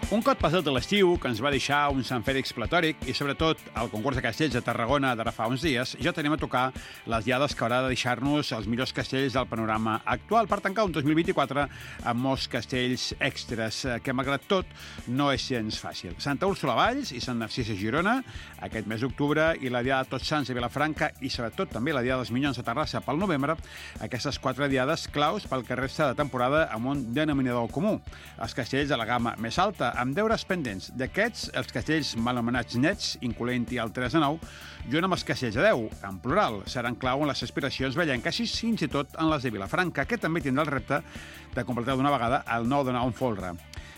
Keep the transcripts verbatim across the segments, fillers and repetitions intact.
Un cop passat de l'estiu, que ens va deixar un Sant Fèlix platòric i, sobretot, el concurs de castells de Tarragona d'ara fa uns dies, ja tenim a tocar les diades que haurà de deixar-nos els millors castells del panorama actual per tancar un dos mil vint-i-quatre amb molts castells extras, que, malgrat tot, no és gens fàcil. Santa Úrsula a Valls i Sant Narcís a Girona, aquest mes d'octubre, i la diada de Tots Sants a Vilafranca i, sobretot, també la diada dels Minyons a Terrassa pel novembre, aquestes quatre diades claus pel que resta de temporada amb un denominador comú, els castells de la gamma més alta, amb deures pendents. D'aquests, els castells mal anomenats nets, incloent-hi el tres a nou, junt amb els castells de deu, en plural, seran clau en les aspiracions vellenques i fins i tot en les de Vilafranca, que també tindrà el repte de completar d'una vegada el nou de nou en folre.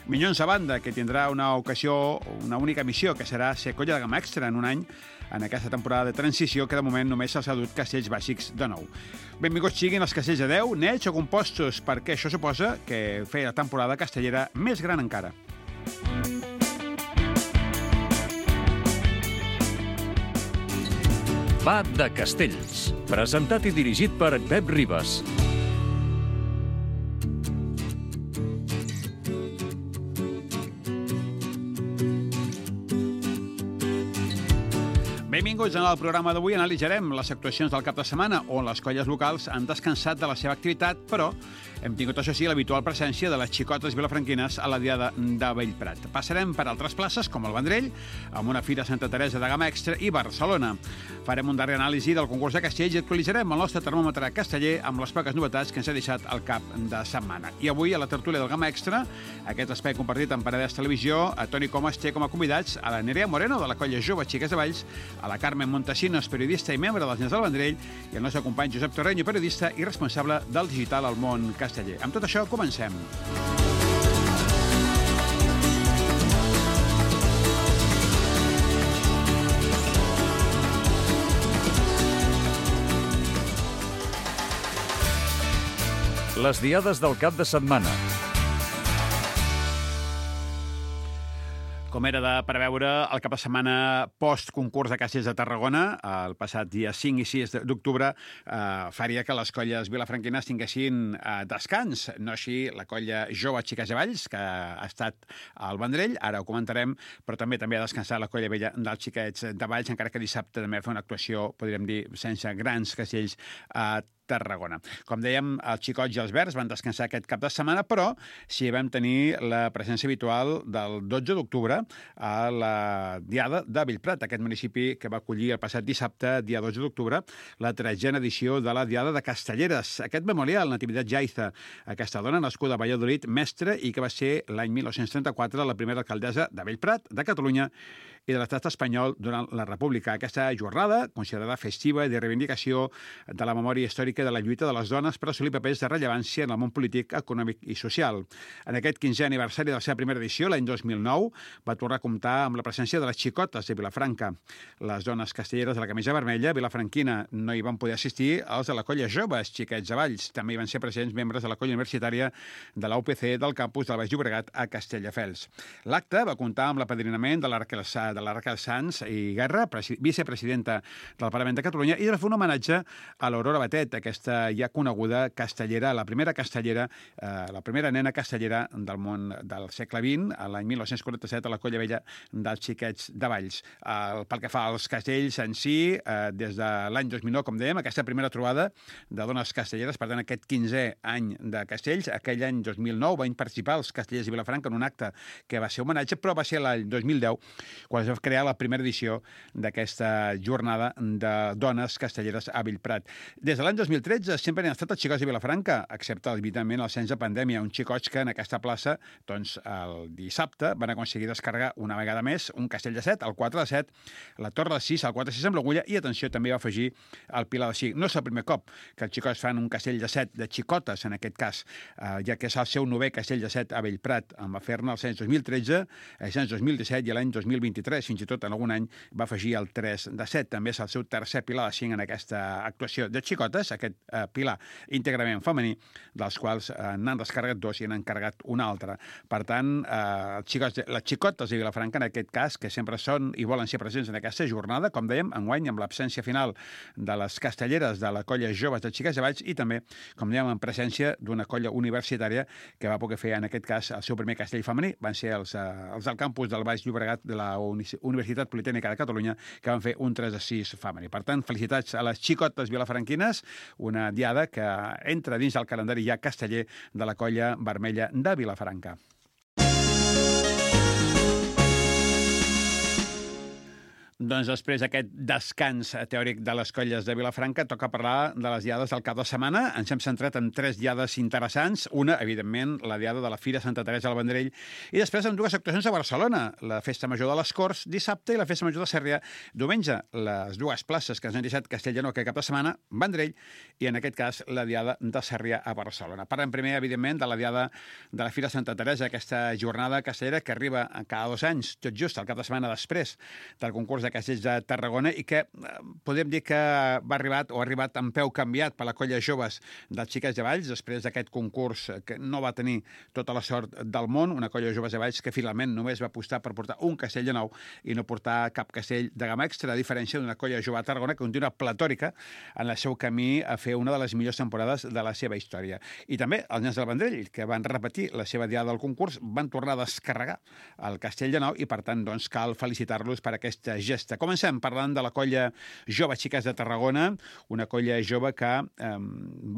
Minyons a banda, que tindrà una ocasió, una única missió, que serà ser colla de gamma extra en un any, en aquesta temporada de transició, que de moment només s'ha dut castells bàsics de nou. Benvinguts siguin els castells de deu, nets o compostos, perquè això suposa que fer la temporada castellera més gran encara. Va de Castells, presentat i dirigit per Pep Ribas. Benvinguts en el programa d'avui. Analitzarem les actuacions del cap de setmana on les colles locals han descansat de la seva activitat, però hem tingut, això sí, l'habitual presència de les xicotes vilafranquines a la diada de Bellprat. Passarem per altres places, com el Vendrell, amb una fira Santa Teresa de gamma extra, i Barcelona. Farem un darrer anàlisi del concurs de castells i actualitzarem el nostre termòmetre casteller amb les poques novetats que ens ha deixat el cap de setmana. I avui, a la tertúlia del gamma extra, aquest espai compartit amb Paradès Televisió, a Toni Comas té com a convidats a la Nerea Moreno, de la colla Jove Xiques de Valls, a la Carmen Montesinos, periodista i membre dels Nens del Vendrell, i el nostre company Josep Torreño, periodista i responsable del digital al món casteller. Amb tot això, comencem. Les diades del cap de setmana. Com era de preveure, el cap de setmana post-concurs de castells de Tarragona, el passat dia cinc i sis d'octubre, eh, faria que les colles vilafranquines tinguessin eh, descans. No així la colla Jove Xiques de Valls, que ha estat al Vendrell, ara ho comentarem, però també també ha descansat la colla vella dels Xiquets de Valls, encara que dissabte també va fer una actuació, podríem dir, sense grans castells a Tarragona. Com dèiem, els xicots i els verds van descansar aquest cap de setmana, però sí vam tenir la presència habitual del dotze d'octubre a la diada de Bellprat, aquest municipi que va acollir el passat dissabte, dia dotze d'octubre, la tretzena edició de la diada de Castelleres. Aquest memorial, Natividad Yaiza, aquesta dona nascuda a Valladolid, mestra, i que va ser l'any mil nou-cents trenta-quatre la primera alcaldessa de Bellprat, de Catalunya i de l'estat espanyol durant la República. Aquesta jornada, considerada festiva i de reivindicació de la memòria històrica de la lluita de les dones per assolir papers de rellevància en el món polític, econòmic i social. En aquest quinzè aniversari de la seva primera edició, l'any dos mil nou, va tornar a comptar amb la presència de les xicotes de Vilafranca. Les dones castelleres de la camisa vermella, vilafranquina, no hi van poder assistir els de la colla Joves Xiquets de Valls. També hi van ser presents membres de la colla universitària de la U P C del campus del Baix Llobregat a Castelldefels. L'acte va comptar amb l'apadrinament de la Raquel de la Raquel Sanz i Guerra, vicepresidenta del Parlament de Catalunya, i de fer un homenatge a l'Aurora Batet, aquesta ja coneguda castellera, la primera castellera, eh, la primera nena castellera del món del segle vint, a l'any mil nou-cents quaranta-set, a la colla vella dels Xiquets de Valls. Eh, pel que fa als castells en si, eh, des de l'any dos mil nou, com dèiem, aquesta primera trobada de dones castelleres, per tant, aquest quinzè any de castells, aquell any dos mil nou van participar els castellers de Vilafranca en un acte que va ser homenatge, però va ser l'any dos mil deu quan es va crear la primera edició d'aquesta jornada de dones castelleres a Bellprat. Des de l'any dos mil tretze sempre han estat els xicots de Vilafranca, excepte, evidentment, el cens de pandèmia, uns xicots que en aquesta plaça, doncs, el dissabte van aconseguir descarregar una vegada més un castell de set, el quatre de set, la torre de sis, el quatre de sis amb l'agulla, i, atenció, també va afegir el pilar de cinc. No és el primer cop que els xicots fan un castell de set, de xicotes, en aquest cas, eh, ja que és el seu novè castell de set a Bellprat. En va fer-ne el cens dos mil tretze, el cens dos mil disset i l'any dos mil vint-i-tres. tres, fins i tot en algun any va afegir el tres de set. També és el seu tercer pilar de cinc en aquesta actuació de xicotes, aquest eh, pilar íntegrament femení, dels quals eh, n'han descarregat dos i n'han carregat un altre. Per tant, eh, xicotes, les xicotes de Vilafranca, en aquest cas, que sempre són i volen ser presents en aquesta jornada, com dèiem, enguany, amb l'absència final de les castelleres de la colla Joves de Xiques de Valls i també, com dèiem, en presència d'una colla universitària que va poder fer, en aquest cas, el seu primer castell femení. Van ser els, eh, els del campus del Baix Llobregat de la Universitat Politècnica de Catalunya, que van fer un tres a sis femení. Per tant, felicitats a les xicotes vilafranquines, una diada que entra dins del calendari ja casteller de la colla vermella de Vilafranca. Doncs després d'aquest descans teòric de les colles de Vilafranca, toca parlar de les diades del cap de setmana. Ens hem centrat en tres diades interessants. Una, evidentment, la diada de la Fira Santa Teresa del Vendrell, i després amb dues actuacions a Barcelona, la Festa Major de les Corts dissabte i la Festa Major de Sarrià diumenge. Les dues places que ens han deixat Castellnou aquest cap de setmana, Vendrell, i en aquest cas la diada de Sarrià a Barcelona. Parlem primer, evidentment, de la diada de la Fira Santa Teresa, aquesta jornada castellera que arriba cada dos anys, tot just el cap de setmana després del concurs de Castells de Tarragona, i que eh, podem dir que va arribat o ha arribat amb peu canviat per la colla Joves dels Xiques de Valls, després d'aquest concurs que no va tenir tota la sort del món, una colla Joves de Valls que finalment només va apostar per portar un castell de nou i no portar cap castell de gamma extra, a diferència d'una colla jove a Tarragona que continua platòrica en el seu camí a fer una de les millors temporades de la seva història. I també els nens del Vendrell, que van repetir la seva diada del concurs, van tornar a descarregar el castell de nou i, per tant, doncs, cal felicitar-los per aquesta gesta. Comencem parlant de la colla Jove Xiques de Tarragona, una colla jove que eh,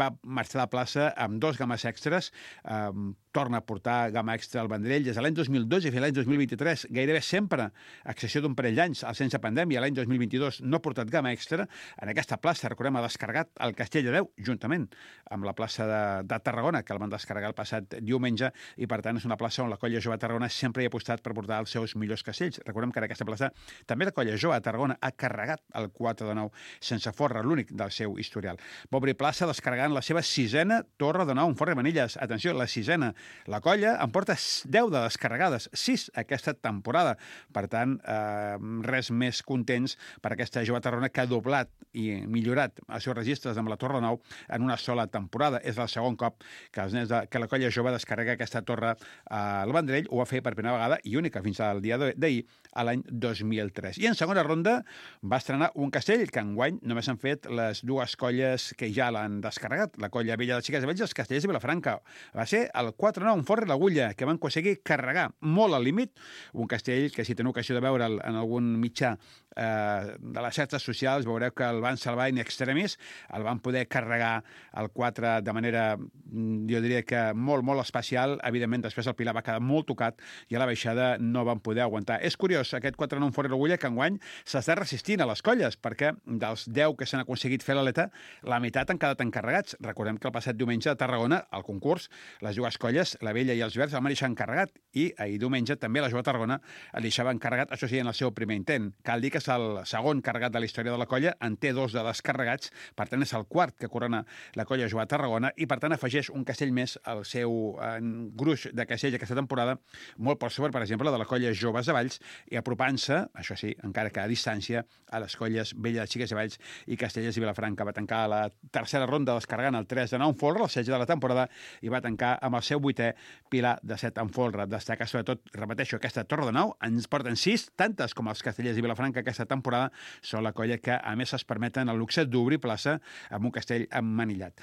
va marxar de plaça amb dos games extras, eh, torna a portar gamma extra al Vendrell des de l'any dos mil dotze i fins l'any dos mil vint-i-tres, gairebé sempre, a excepció d'un parell d'anys, sense pandèmia, l'any dos mil vint-i-dos no ha portat gamma extra. En aquesta plaça, recordem, ha descarregat el Castell de Déu, juntament amb la plaça de, de Tarragona, que el van descarregar el passat diumenge, i per tant és una plaça on la colla jove de Tarragona sempre hi ha apostat per portar els seus millors castells. Recordem que en aquesta plaça també la colla jove de Tarragona ha carregat el quatre de nou sense forra, l'únic del seu historial. Va obrir plaça descarregant la seva sisena torre de nou en Forra i Manilles. Atenció, la sisena. La colla en porta deu de descarregades, sis aquesta temporada. Per tant, eh, res més contents per aquesta jove Tarragona que ha doblat i millorat els seus registres amb la torre de nou en una sola temporada. És el segon cop que, els nens de, que la colla jove descarrega aquesta torre al Vendrell. Ho va fer per primera vegada i única fins al dia d'ahir, a l'any dos mil tres. I en segona ronda va estrenar un castell que enguany només han fet les dues colles que ja l'han descarregat, la colla vella de Xiques de Valls i els Castellers de Vilafranca. Va ser el quatre nou en Forra i l'Agulla, que van aconseguir carregar molt al límit, un castell que, si teniu ocasió de veure'l en algun mitjà eh, de les xarxes socials, veureu que el van salvar in extremis, el van poder carregar el quatre de manera, jo diria que molt, molt especial. Evidentment, després el Pilar va quedar molt tocat i a la baixada no van poder aguantar. És curiós, aquest quatre nou en Forra i l'Agulla, que enguany s'està resistint a les colles, perquè dels deu que s'han aconseguit fer l'aleta, la meitat han quedat encarregats. Recordem que el passat diumenge a Tarragona, al concurs, les dues colles, la Vella i els Verds, el van deixar encarregat, i ahir diumenge també la Jove Tarragona el deixava encarregat, això sí, en el seu primer intent. Cal dir que és el segon carregat de la història de la colla, en té dos de descarregats, per tant és el quart que corona la colla Jove Tarragona, i per tant afegeix un castell més al seu eh, gruix de castells aquesta temporada, molt per sobre, per exemple, de la colla Joves de Valls, i apropant-se, això sí, encara que a distància, a les colles Vella de Xiques de Valls i Castellers i Vilafranca. Va tancar la tercera ronda descarregant el tres de nou en folre, el setze de la temporada, i va tancar amb el seu vuitè Pilar de set en folre. Destaca sobretot, repeteixo, aquesta torre de nou, ens porten sis, tantes com els Castellers i Vilafranca aquesta temporada, són la colla que a més es permeten el luxe d'obrir plaça amb un castell emmanillat.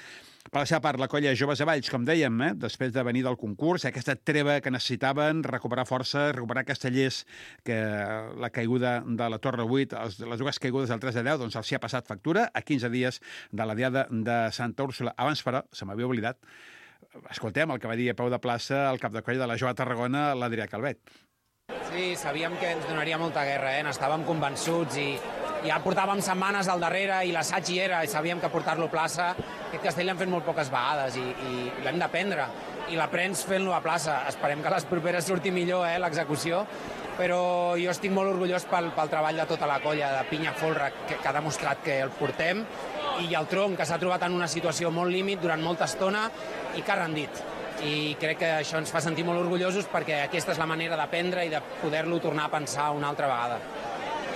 Per la seva part, la colla Joves de Valls, com dèiem, eh, després de venir del concurs, aquesta treva que necessitaven, recuperar força, recuperar castellers, que la caiguda de la Torre vuit, les dues caigudes del tres de deu, doncs els hi ha passat factura a quinze dies de la diada de Santa Úrsula. Abans, però, se m'havia oblidat, escoltem el que va dir a peu de plaça el cap de colla de la Jove Tarragona, l'Adrià Calvet. Sí, sabíem que ens donaria molta guerra, eh? N'estàvem convençuts i ja portàvem setmanes al darrere i l'assaig hi era i sabíem que portar-lo a plaça, aquest castell l'hem fet molt poques vegades i, i l'hem d'aprendre i l'aprens fent-lo a plaça. Esperem que les properes surti millor, eh, l'execució, però jo estic molt orgullós pel, pel treball de tota la colla de pinya folre que, que ha demostrat que el portem, i el tronc, que s'ha trobat en una situació molt límit durant molta estona i que ha rendit. i crec que això ens fa sentir molt orgullosos perquè aquesta és la manera d'aprendre i de poder-lo tornar a pensar una altra vegada.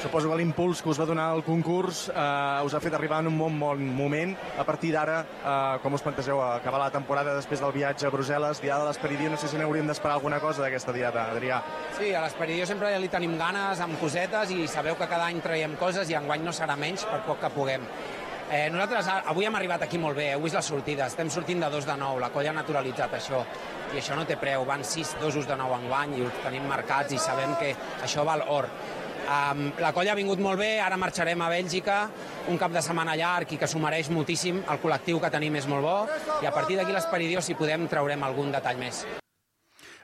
Suposo que l'impuls que us va donar el concurs eh, us ha fet arribar en un bon, bon moment. A partir d'ara, eh, com us plantegeu acabar la temporada després del viatge a Brussel·les, Diada de l'Esperidió, no sé si n'hauríem d'esperar alguna cosa d'aquesta diada, Adrià. Sí, a l'Esperidió sempre li tenim ganes, amb cosetes, i sabeu que cada any traiem coses i enguany no serà menys per poc que puguem. Eh, nosaltres avui hem arribat aquí molt bé, heu vist la sortida, estem sortint de dos de nou, la colla ha naturalitzat això, i això no té preu, van sis dosos de nou enguany i ho tenim marcats i sabem que això val or. Um, la colla ha vingut molt bé, ara marxarem a Bèlgica, un cap de setmana llarg i que s'ho mereix moltíssim, el col·lectiu que tenim és molt bo, i a partir d'aquí l'Esperidió, si podem, traurem algun detall més.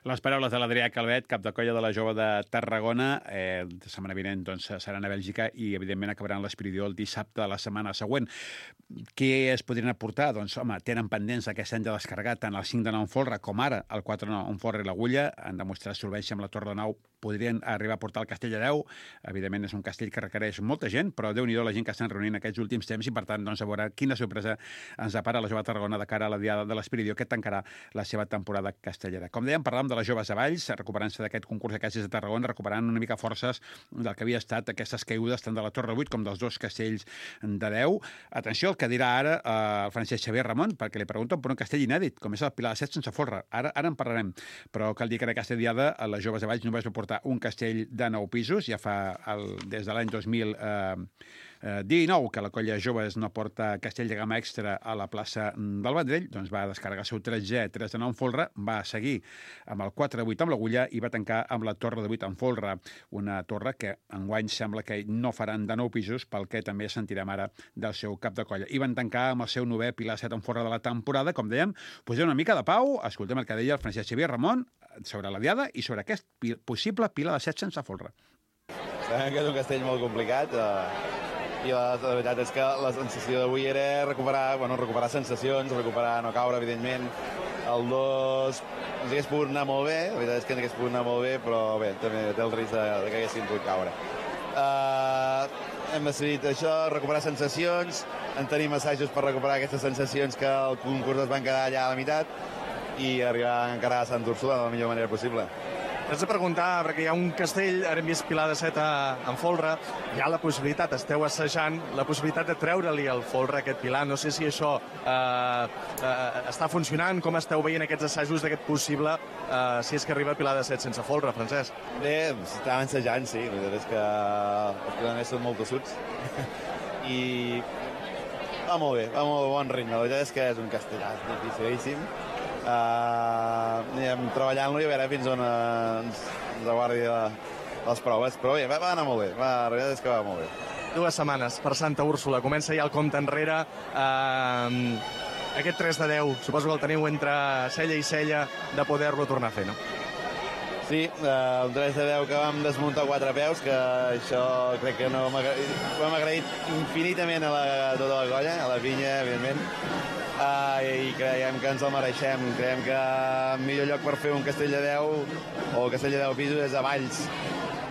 Les paraules de l'Adrià Calvet, cap de colla de la Jove de Tarragona. Eh, la setmana vinent doncs, seran a Bèlgica i, evidentment, acabaran l'Esperidió el dissabte de la setmana següent. Què es podrien aportar? Doncs, home, tenen pendents aquest any de descarregar tant el cinc de nou en folre com ara el quatre de nou en folre i l'Agulla. Han demostrat solvència amb la Torre de Nou. Podrien arribar a portar el Castell de Déu. Evidentment, és un castell que requereix molta gent, però Déu-n'hi-do la gent que estan reunint aquests últims temps i, per tant, doncs, a veure quina sorpresa ens depara la Jove de Tarragona de cara a la Diada de l'Esperidió, que tancarà la seva temporada castellera. Com dèiem, parlàvem de les joves a Valls, recuperant-se d'aquest concurs de castells de Tarragona, recuperant una mica forces del que havia estat aquestes caigudes tant de la Torre vuit com dels dos castells de Déu. Atenció al que dirà ara eh, el Francesc Xavier Ramon, perquè li pregunten per un castell inèdit, com és el Pilar de Set sense folre. Ara, ara en parlarem, però cal dir que en aquesta diada a les joves de Valls només va portar un castell de nou pisos, ja fa el, des de l'any dos mil dinou que la colla joves no porta castell de gamma extra a la plaça del Vendrell, doncs va descarregar el seu tretzè tres de nou en folre, va seguir amb el quatre de vuit amb l'Agulla i va tancar amb la Torre de vuit en folre, una torre que enguany sembla que no faran de nou pisos, pel que també sentirem ara del seu cap de colla. I van tancar amb el seu novè Pilar set en folre de la temporada, com dèiem, posem una mica de pau, escoltem el que deia el Francesc Xavier Ramon sobre la diada i sobre aquest possible Pilar de set sense folre. Sabem que és un castell molt complicat, eh, i la, la veritat és que la sensació d'avui era recuperar, bueno, recuperar sensacions, recuperar no caure, evidentment. El dos ens hagués pogut anar molt bé, la veritat és que ens hagués pogut anar molt bé, però bé, també té el risc de, de que haguessin pogut caure. Uh, hem decidit això, recuperar sensacions, en tenim assajos per recuperar aquestes sensacions que el concurs es van quedar allà a la meitat i arribar encara a Sant Úrsula de la millor manera possible. T'haig de preguntar, perquè hi ha un castell, ara hem vist Pilar de Set en folre, hi ha la possibilitat, esteu assajant, la possibilitat de treure-li el folre a aquest Pilar. No sé si això eh, eh, està funcionant, com esteu veient aquests assajos d'aquest possible, eh, si és que arriba Pilar de Set sense folre, Francesc. Bé, estàvem assajant, sí, la veritat és que els pilaners són molt tossuts i va molt bé, va molt bon ritme. La veritat és que és un castellà dificilíssim. Uh, anem treballant-lo i a veure fins on uh, ens, ens aguardi la, les proves, però bé, va, va anar molt bé, va, la veritat és que va molt bé. Dues setmanes per Santa Úrsula, comença ja el compte enrere, uh, aquest tres de deu, suposo que el teniu entre cella i cella de poder-lo tornar a fer, no? Sí, uh, un tres de deu que vam desmuntar quatre peus, que això crec que no ho hem agraït infinitament a, la, a tota la colla, a la pinya, evidentment. Uh, i creiem que ens el mereixem. Creiem que el millor lloc per fer un castell de deu o el castell de deu pisos és a Valls.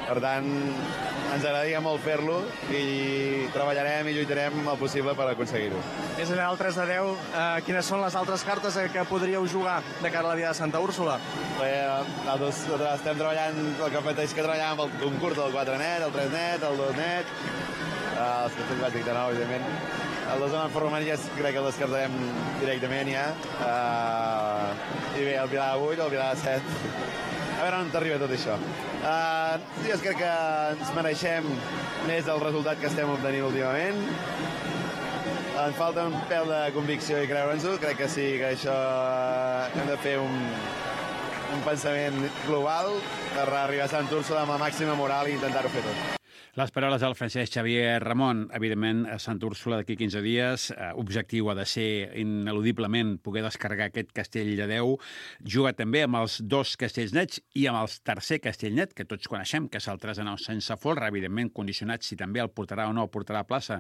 Per tant, ens agradaria molt fer-lo i treballarem i lluitarem el possible per aconseguir-ho. Més enllà del tres de deu, eh, quines són les altres cartes que podríeu jugar de cara a la Diada de Santa Úrsula? Bé, nosaltres, nosaltres estem treballant el que mateix que treballàvem amb el concurs del quatre net, el tres net, el dos net, uh, els castells bàsics de nou, evidentment. El dos en format ja crec que el descartarem directament ja. Uh, I bé, el Pilar de vuit, el Pilar de set. A veure on t'arriba tot això. Uh, jo crec que ens mereixem més el resultat que estem obtenint últimament. Ens falta un pèl de convicció i creure'ns-ho. Crec que sí, que això uh, hem de fer un, un pensament global per arribar a Sant Úrsula amb la màxima moral i intentar-ho fer tot. Les paraules del Francesc Xavier Ramon, evidentment, a Sant Úrsula d'aquí quinze dies. Eh, objectiu ha de ser, ineludiblement, poder descarregar aquest castell de Déu. Juga també amb els dos castells nets i amb el tercer castell net, que tots coneixem, que és el tres de nou sense folre, evidentment condicionat si també el portarà o no el portarà a plaça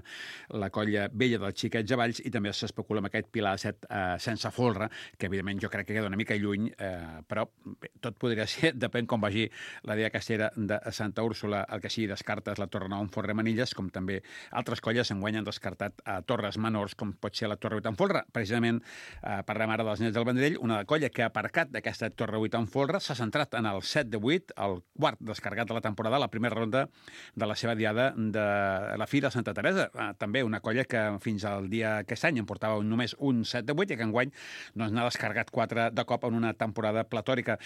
la colla vella dels xiquets de Valls, i també s'especula amb aquest Pilar de set eh, sense folre, que evidentment jo crec que queda una mica lluny, eh, però bé, tot podria ser, depèn com vagi la Diada Castellera de Santa Úrsula. El que sí, descartes la Torre Nou en Folre Manilles, com també altres colles enguany han descartat a torres menors, com pot ser la Torre vuit en Folre. Precisament eh, parlem ara dels Nets del Vendrell, una colla que ha aparcat d'aquesta Torre vuit en Folre, s'ha centrat en el set de vuit, el quart descarregat de la temporada, la primera ronda de la seva diada de la Fira de Santa Teresa. Eh, també una colla que fins al dia aquest any en portava només un set de vuit i que enguany doncs, n'ha descarregat quatre de cop en una temporada platòrica.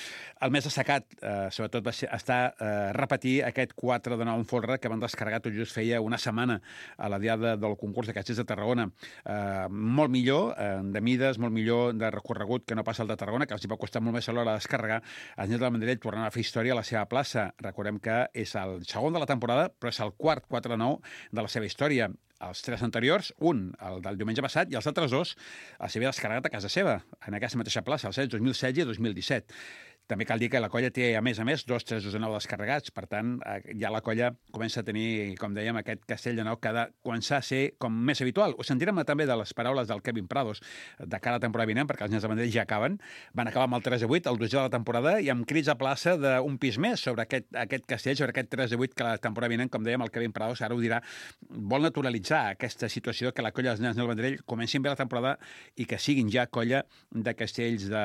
El més destacat, eh, sobretot, va ser, està eh, repetir aquest quatre de nou en Folre que van descarregar tot just feia una setmana a la diada del concurs de Castells de Tarragona. Eh, molt millor eh, de mides, molt millor de recorregut que no passa el de Tarragona, que els hi va costar molt més a l'hora de descarregar. Els Nets del Vendrell tornen a fer història a la seva plaça. Recordem que és el segon de la temporada, però és el quart quatre de nou de la seva història. Els tres anteriors, un, el del diumenge passat, i els altres dos els havia descarregat a casa seva, en aquesta mateixa plaça, els anys dos mil setze i dos mil disset. També cal dir que la colla té, a més a més, dos tres de nou descarregats. Per tant, ja la colla comença a tenir, com dèiem, aquest castell de nou que ha de començar a ser com més habitual. Ho sentirem també de les paraules del Kevin Prados de cara a la temporada vinent, perquè els Nets de Vendrell ja acaben. Van acabar amb el tres de vuit, el dotzè de la temporada, i amb crits a plaça d'un pis més sobre aquest, aquest castell, sobre aquest tres de vuit que la temporada vinent, com dèiem, el Kevin Prados ara ho dirà, vol naturalitzar aquesta situació que la colla dels Nets del Vendrell comencin bé la temporada i que siguin ja colla de castells de...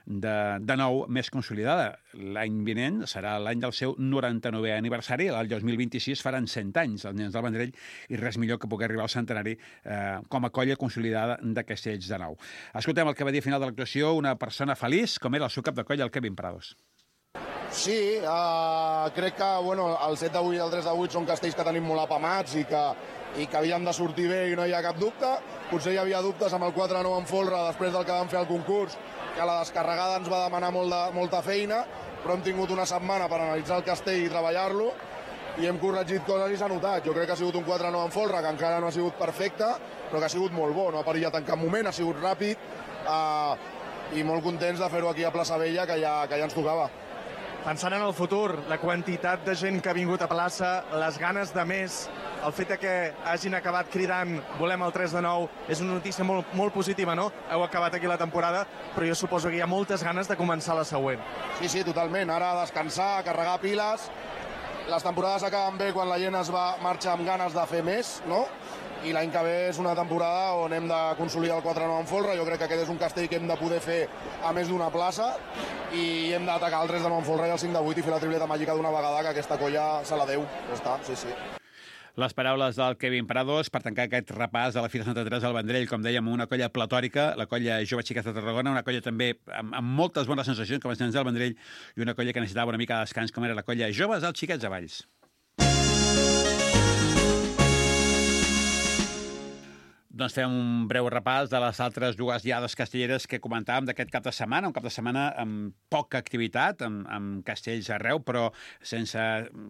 De, de nou més consolidada. L'any vinent serà l'any del seu noranta-novè aniversari, el dos mil vint-i-sis faran cent anys els Nens del Vendrell i res millor que poder arribar al centenari eh, com a colla consolidada de castells de nou. Escoltem el que va dir a final de l'actuació una persona feliç com era el seu cap de colla, el Kevin Prados. Sí, uh, crec que bueno, el set de vuit i el tres de vuit són castells que tenim molt apamats i que, i que havien de sortir bé i no hi ha cap dubte. Potser hi havia dubtes amb el quatre nou en Folre després del que vam fer al concurs, que la descarregada ens va demanar molt de, molta feina, però hem tingut una setmana per analitzar el castell i treballar-lo i hem corregit coses i s'ha notat. Jo crec que ha sigut un quatre nou en Folre, que encara no ha sigut perfecte, però que ha sigut molt bo, no ha perillat en cap moment, ha sigut ràpid eh, i molt contents de fer-ho aquí a Plaça Vella, que ja, que ja ens tocava. Pensant en el futur, la quantitat de gent que ha vingut a plaça, les ganes de més, el fet que hagin acabat cridant volem el tres de nou és una notícia molt, molt positiva, no? Heu acabat aquí la temporada, però jo suposo que hi ha moltes ganes de començar la següent. Sí, sí, totalment. Ara a descansar, a carregar piles. Les temporades acaben bé quan la gent es va marxar amb ganes de fer més, no? I l'any que ve és una temporada on hem de consolidar el quatre nou en Folre. Jo crec que aquest és un castell que hem de poder fer a més d'una plaça i hem d'atacar el tres de nou en Folre i el cinc de vuit i fer la tripleta màgica d'una vegada, que aquesta colla se la deu. Ja està, sí, sí. Les paraules del Kevin Prados per tancar aquest repàs de la Fira Santa Teresa del Vendrell, com dèiem, una colla platòrica, la colla Jove Xiquets de Tarragona, una colla també amb, amb moltes bones sensacions com els Nens del Vendrell i una colla que necessitava una mica de descans com era la colla Joves dels Xiquets de Valls. Doncs fem un breu repàs de les altres dues diades castelleres que comentàvem d'aquest cap de setmana, un cap de setmana amb poca activitat, amb, amb castells arreu, però sense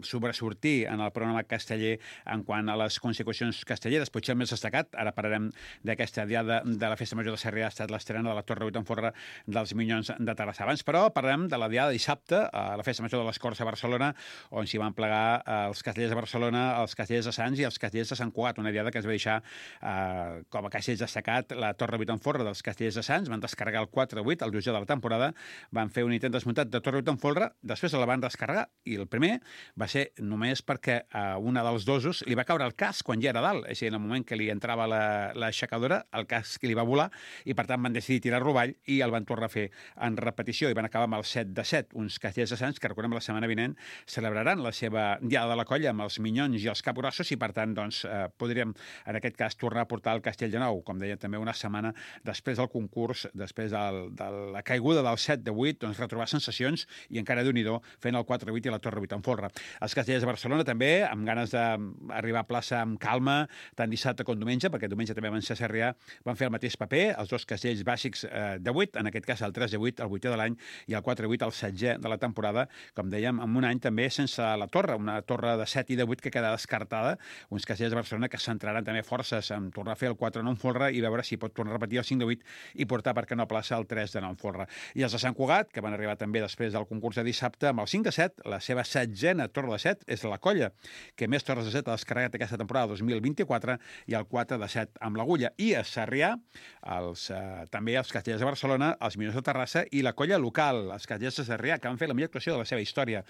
sobresortir en el programa casteller en quant a les consecucions castelleres. Potser el més destacat, ara parlarem d'aquesta diada de la Festa Major de Sarrià, ha estat l'estrena de la Torre vuit en Folre dels Minyons de Terrassa. Abans, però, parlem de la diada dissabte a la Festa Major de les Corts a Barcelona, on s'hi van plegar els castellers de Barcelona, els castellers de Sants i els castellers de Sant Cugat, una diada que es va deixar eh, com a castells destacat la Torre vuit en Folre dels castellers de Sants, van descarregar el quatre vuit, el dotzè de la temporada, van fer un intent desmuntat de Torre vuit en Folre, després la van descarregar, i el primer va ser només perquè a una dels dosos li va caure el casc quan ja era dalt, és a dir, en el moment que li entrava l'aixecadora, el casc li va volar, i per tant van decidir tirar-lo avall i el van tornar a fer en repetició, i van acabar amb el set de set, uns castellers de Sants que, recordem, la setmana vinent celebraran la seva diada de la colla amb els minyons i els capgrossos, i per tant, doncs, eh, podríem, en aquest cas, tornar a portar el castell de nou, com deia també una setmana després del concurs, després del, de la caiguda del set de vuit, doncs retrobar sensacions i encara Déu-n'hi-do fent el quatre vuit i la Torre vuit en Folre. Els castellers de Barcelona també, amb ganes d'arribar a plaça amb calma, tant dissabte com diumenge, perquè diumenge també van ser a Sarrià, van fer el mateix paper, els dos castells bàsics eh, de vuit, en aquest cas el tres de vuit, el vuitè de l'any, i el quatre vuit, el setzè de la temporada, com dèiem, en un any també sense la torre, una torre de set i de vuit que queda descartada, uns castellers de Barcelona que centraran també forces en tornar a fer el el quatre de nou en folre i veure si pot tornar a repetir el cinc de vuit i portar, per què no, a plaça el tres de nou en folre. I els de Sant Cugat, que van arribar també després del concurs de dissabte, amb el cinc de set, la seva setzena torre de set és la Colla, que més torres de set ha descarregat aquesta temporada dos mil vint-i-quatre, i el quatre de set amb l'Agulla. I a Sarrià, els, eh, també els Castellers de Barcelona, els Minyons de Terrassa i la Colla local, els Castellers de Sarrià, que van fer la millor actuació de la seva història.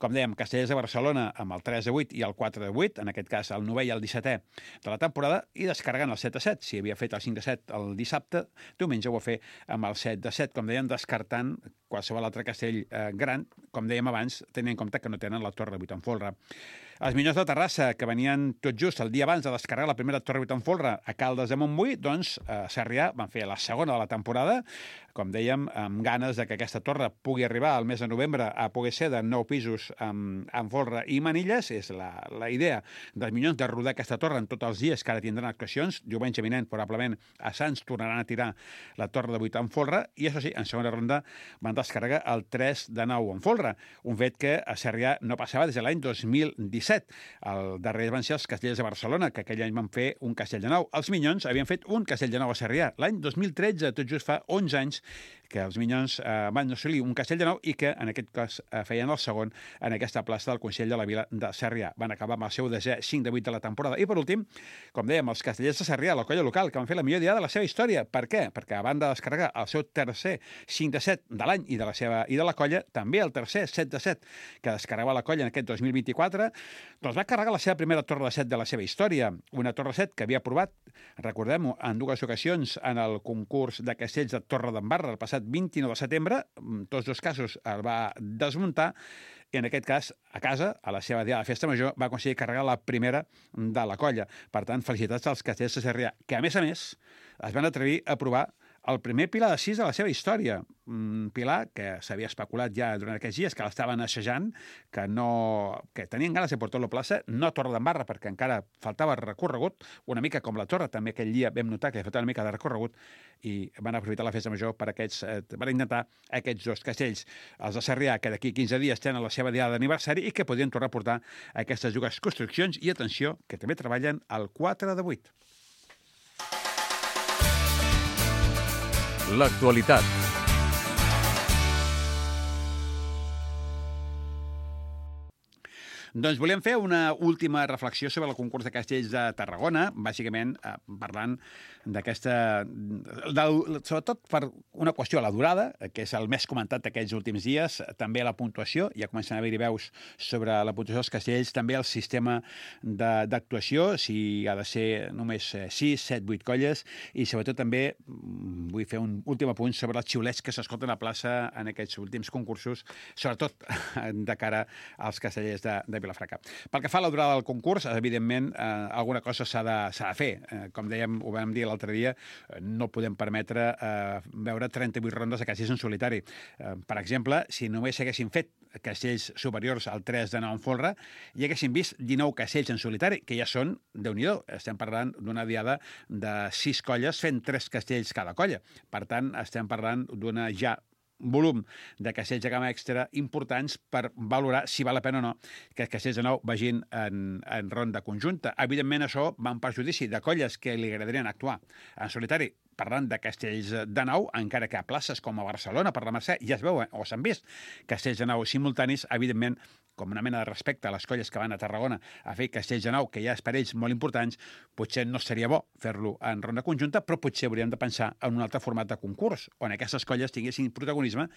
Com dèiem, Castellers de Barcelona amb el tres de vuit i el quatre de vuit, en aquest cas el novè i el dissetè de la temporada, i descarregant el set de set. Si havia fet el cinc de set el dissabte, diumenge ho va fer amb el set de set, com deien, descartant qualsevol altre castell eh, gran, com dèiem abans, tenint en compte que no tenen la torre de vuit en folre. Els Minyons de Terrassa, que venien tot just el dia abans de descarregar la primera torre de vuit en folre a Caldes de Montbui, doncs a Sarrià van fer la segona de la temporada, com dèiem, amb ganes de que aquesta torre pugui arribar al mes de novembre a poder ser de nou pisos amb, amb folre i manilles. És la, la idea dels Minyons de rodar aquesta torre en tots els dies que ara tindran actuacions. Diumenge vinent, probablement, a Sants tornaran a tirar la torre de vuit en folre i, això sí, en segona ronda van descarregar el tres de nou en folre, un fet que a Sarrià no passava des de l'any dos mil disset. El darrer van ser els Castellers de Barcelona, que aquell any van fer un castell de nou. Els Minyons havien fet un castell de nou a Sarrià l'any dos mil tretze, tot just fa onze anys, que els Minyons eh, van assolir un castell de nou i que, en aquest cas, eh, feien el segon en aquesta plaça del Consell de la Vila de Sarrià. Van acabar amb el seu desè cinc de vuit de la temporada. I, per últim, com dèiem, els Castellers de Sarrià, la colla local, que van fer la millor diada de la seva història. Per què? Perquè, a banda de descarregar el seu tercer cinc de set de l'any i de la seva i de la colla, també el tercer set de set que descarregava la colla en aquest dos mil vint-i-quatre, doncs va carregar la seva primera torre de set de la seva història. Una torre de set que havia provat, recordem-ho, en dues ocasions en el concurs de castells de Torredembarra el passat vint-i-nou de setembre. En tots dos casos el va desmuntar i, en aquest cas, a casa, a la seva diada de festa major, va aconseguir carregar la primera de la colla. Per tant, felicitats als Castellers de Sarrià, que, a més a més, es van atrevir a provar el primer pilar de sis de la seva història. Un pilar que s'havia especulat ja durant aquests dies, que l'estaven assajant, que, no, que tenien ganes de portar-lo a plaça, no a Torredembarra, perquè encara faltava recorregut, una mica com la Torre, també aquell dia vam notar que faltava una mica de recorregut, i van aprofitar la festa major per, aquests, eh, per intentar aquests dos castells. Els de Sarrià, que d'aquí quinze dies tenen la seva diada d'aniversari i que podien tornar a portar aquestes dues construccions, i atenció, que també treballen el quatre de vuit. L'actualitat. Doncs volem fer una última reflexió sobre el concurs de castells de Tarragona, bàsicament eh, parlant d'aquesta... sobretot per una qüestió a la durada, que és el més comentat d'aquests últims dies, també la puntuació, ja comencen a haver-hi veus sobre la puntuació dels castells, també el sistema d'actuació, si ha de ser només sis, set, vuit colles, i sobretot també vull fer un últim apunt sobre els xiulets que s'escolten a plaça en aquests últims concursos, sobretot de cara als castellers de, de Vilafranca. Pel que fa a la durada del concurs, evidentment, eh, alguna cosa s'ha de, s'ha de fer. Eh, com dèiem, ho vam dir l'altre dia, eh, no podem permetre eh, veure trenta-vuit rondes de castells en solitari. Eh, per exemple, si només haguessin fet castells superiors al tres de nou en folre, i haguessin vist dinou castells en solitari, que ja són, Déu-n'hi-do, estem parlant d'una diada de sis colles fent tres castells cada colla. Per tant, estem parlant d'una ja volum de castells de gamma extra importants per valorar si val la pena o no que els castells de nou vagin en, en ronda conjunta. Evidentment, això va en perjudici de colles que li agradarien actuar en solitari, parlant de castells de nou, encara que a places com a Barcelona, per la Mercè, ja es veuen o s'han vist castells de nou simultanis, evidentment, com una mena de respecte a les colles que van a Tarragona a fer castells de nou, que ja és per ells molt importants, potser no seria bo fer-lo en ronda conjunta, però potser hauríem de pensar en un altre format de concurs, on aquestes colles tinguessin protagonisme,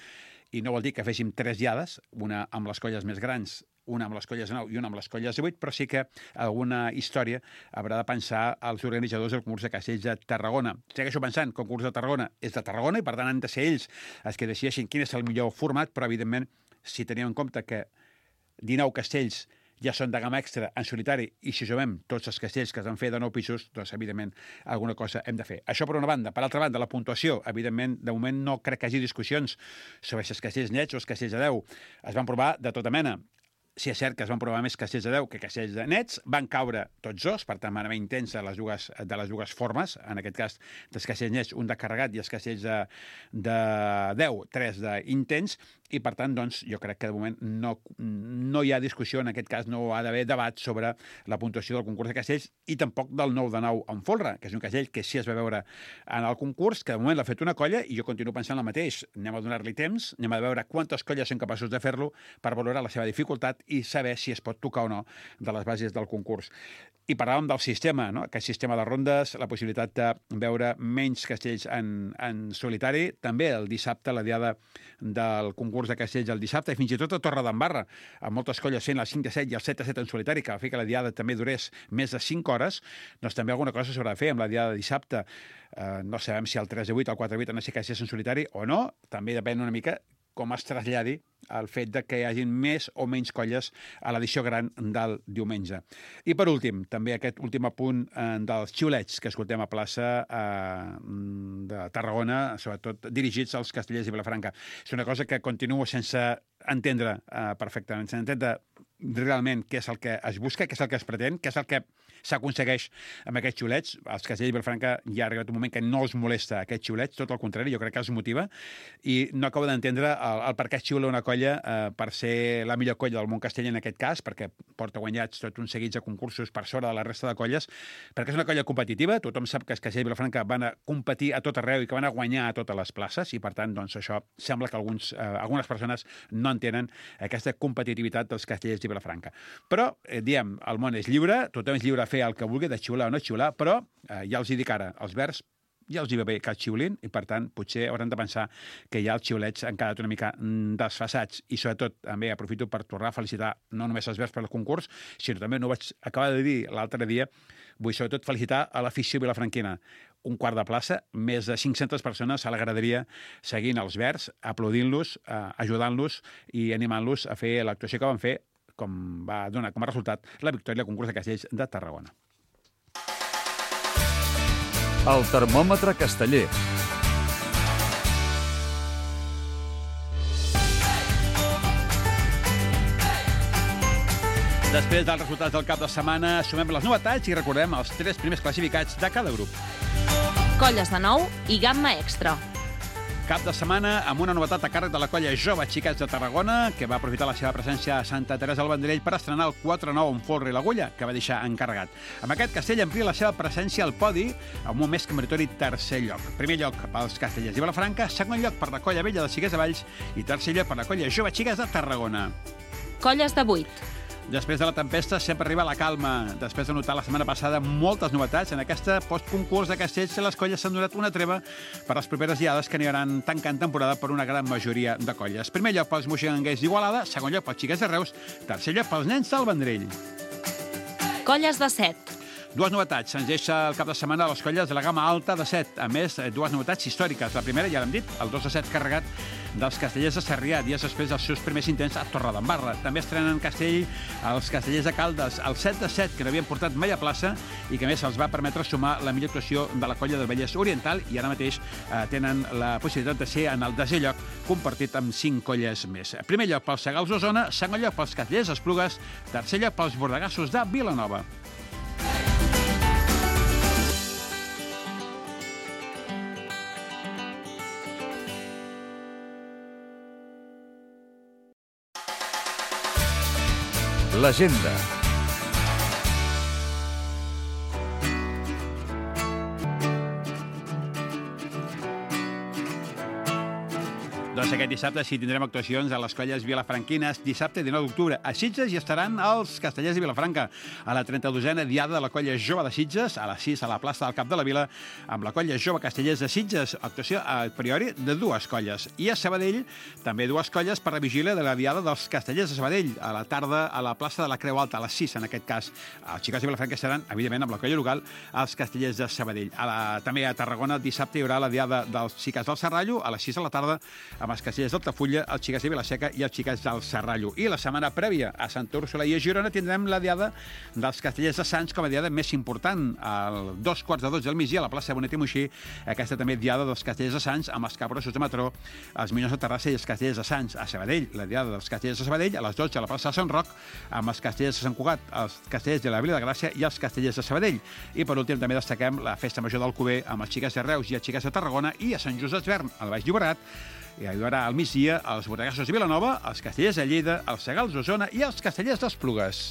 i no vol dir que féssim tres diades, una amb les colles més grans, una amb les colles de nou i una amb les colles de vuit, però sí que alguna història haurà de pensar als organitzadors del concurs de castells de Tarragona. Segueixo pensant que el concurs de Tarragona és de Tarragona i, per tant, han de ser ells els que decideixin quin és el millor format, però, evidentment, si tenim en compte que dinou castells ja són de gamma extra en solitari, i si sumem tots els castells que es van fer de nou pisos, doncs, evidentment, alguna cosa hem de fer. Això per una banda. Per altra banda, la puntuació, evidentment, de moment no crec que hi hagi discussions sobre si els castells nets o els castells de deu. Es van provar de tota mena. Si és cert que es van provar més castells de deu que castells de nets, van caure tots dos, per tant van haver intents de les dues, de les dues formes, en aquest cas dels castells nets, un de carregat i els castells de, de deu, tres d'intents, i, per tant, doncs, jo crec que de moment no, no hi ha discussió, en aquest cas no ha d'haver debat sobre la puntuació del concurs de castells i tampoc del nou de nou en folre, que és un castell que sí es va veure en el concurs, que de moment l'ha fet una colla i jo continuo pensant el mateix. Anem a donar-li temps, anem a veure quantes colles són capaços de fer-lo per valorar la seva dificultat i saber si es pot tocar o no de les bases del concurs. I parlàvem del sistema, no? Aquest sistema de rondes, la possibilitat de veure menys castells en, en solitari, també el dissabte, la diada del concurs de castells el dissabte, i fins i tot a Torredembarra, amb moltes colles fent el cinc a set i el set a set en solitari, que va fer que la diada també durés més de cinc hores, doncs també alguna cosa s'haurà de fer amb la diada de dissabte. Uh, no sabem si el tres a vuit o el quatre a vuit han de ser castells en solitari o no, també depèn una mica com es traslladi el fet de que hi hagi més o menys colles a l'edició gran del diumenge. I per últim, també aquest últim apunt eh, dels xiulets que escoltem a plaça eh, de Tarragona, sobretot dirigits als castellers i Vilafranca. És una cosa que continuo sense entendre eh, perfectament, sense entendre realment què és el que es busca, què és el que es pretén, què és el que s'aconsegueix amb aquests xiulets. Els castellers de Vilafranca ja ha arribat un moment que no els molesta aquests xiulets, tot el contrari, jo crec que els motiva, i no acabo d'entendre el, el per què es xiula una colla eh, per ser la millor colla del món castell en aquest cas, perquè porta guanyats tot un seguit de concursos per sobre de la resta de colles, perquè és una colla competitiva, tothom sap que els castellers de Vilafranca van a competir a tot arreu i que van a guanyar a totes les places, i per tant, doncs, això sembla que alguns, eh, algunes persones no entenen aquesta competitivitat dels castellers de Vilafranca. Però, eh, diem, el món és lliure, tothom és lliure a fer el que vulgui, de xiular o no xiular, però eh, ja els hi dic ara, els verds ja els hi va bé que els xiulin i, per tant, potser hauran de pensar que ja els xiulets han quedat una mica desfasats i, sobretot, també aprofito per tornar a felicitar no només els verds per al concurs, sinó també, no ho vaig acabar de dir l'altre dia, vull sobretot felicitar a l'afició vilafranquina. Un quart de plaça, més de cinc-centes persones a la graderia seguint els verds, aplaudint-los, eh, ajudant-los i animant-los a fer l'actuació que van fer, com va donar com a resultat la victòria al concurs de castells de Tarragona. El termòmetre casteller. Després dels resultats del cap de setmana, sumem les novetats i recordem els tres primers classificats de cada grup. Colles de nou i gamma extra. Cap de setmana amb una novetat a càrrec de la colla Jove Xiquets de Tarragona, que va aprofitar la seva presència a Santa Teresa del Vendrell per estrenar el quatre nou en folre i l'agulla, que va deixar encarregat. Amb aquest castell amplia la seva presència al podi amb un més que meritori tercer lloc. Primer lloc pels castellers de Vilafranca, segon lloc per la colla vella de Xiquets de Valls i tercer lloc per la colla Jove Xiquets de Tarragona. Colles de vuit. Després de la tempesta sempre arriba la calma. Després de notar la setmana passada moltes novetats, en aquesta postconcurs de castells les colles s'han donat una treva per les properes diades que aniran tancant temporada per una gran majoria de colles. Primer lloc pels moixigangers d'Igualada, segon lloc pels xiquets de Reus, tercer lloc pels nens del Vendrell. Colles de set. Dues novetats. Se'ns deixa el cap de setmana a les colles de la gamma alta de set. A més, dues novetats històriques. La primera, ja l'hem dit, el dos a set carregat dels castellers de Sarrià, dies després dels seus primers intents a Torredembarra. També estrenen castell els castellers de Caldes, el set a set, que no havien portat mai a plaça i que, a més, els va permetre sumar la millor actuació de la colla del Vallès Oriental i ara mateix eh, tenen la possibilitat de ser en el desè lloc compartit amb cinc colles més. Primer lloc pels Segals d'Osona, segon lloc pels castellers d'Esplugues, tercer lloc pels bordegassos de Vilanova. L'agenda. Doncs aquest dissabte sí tindrem actuacions a les colles vilafranquines. Dissabte dinou d'octubre a Sitges hi estaran els castellers de Vilafranca a la trenta-dosena diada de la colla Jove de Sitges a les sis a la plaça del Cap de la Vila amb la colla Jove Castellers de Sitges. Actuació a priori de dues colles. I a Sabadell també dues colles per la vigília de la diada dels castellers de Sabadell a la tarda a la plaça de la Creu Alta a les sis en aquest cas. Els xiquets de Vilafranca seran evidentment amb la colla local els castellers de Sabadell. A la, també a Tarragona dissabte hi haurà la diada dels xiquets del Serrallo a les sis a la tarda amb els castellers d'Altafulla, els xiquets de Vilaseca i els xiquets del Serrallo. I la setmana prèvia a Santa Úrsula i a Girona tindrem la diada dels castellers de Sants com a diada més important. Al dos quarts de dotze del migdia a la plaça de Bonet i Moixí, aquesta també diada dels castellers de Sants amb els Capgrossos de Matró, els Minyons de Terrassa i els castellers de Sants. A Sabadell, la diada dels castellers de Sabadell a les dotze a la plaça de Sant Roc amb els castellers de Sant Cugat, els castellers de la Vila de Gràcia i els castellers de Sabadell. I per últim també destaquem la festa major d'Alcover amb els xiquets de Reus i els xiquets de Tarragona i a Sant Just Desvern, al Baix Llobregat, I hi haurà al migdia els Bodegassos de Vilanova, els Castellers de Lleida, els Segals d'Osona i els Castellers d'Esplugues.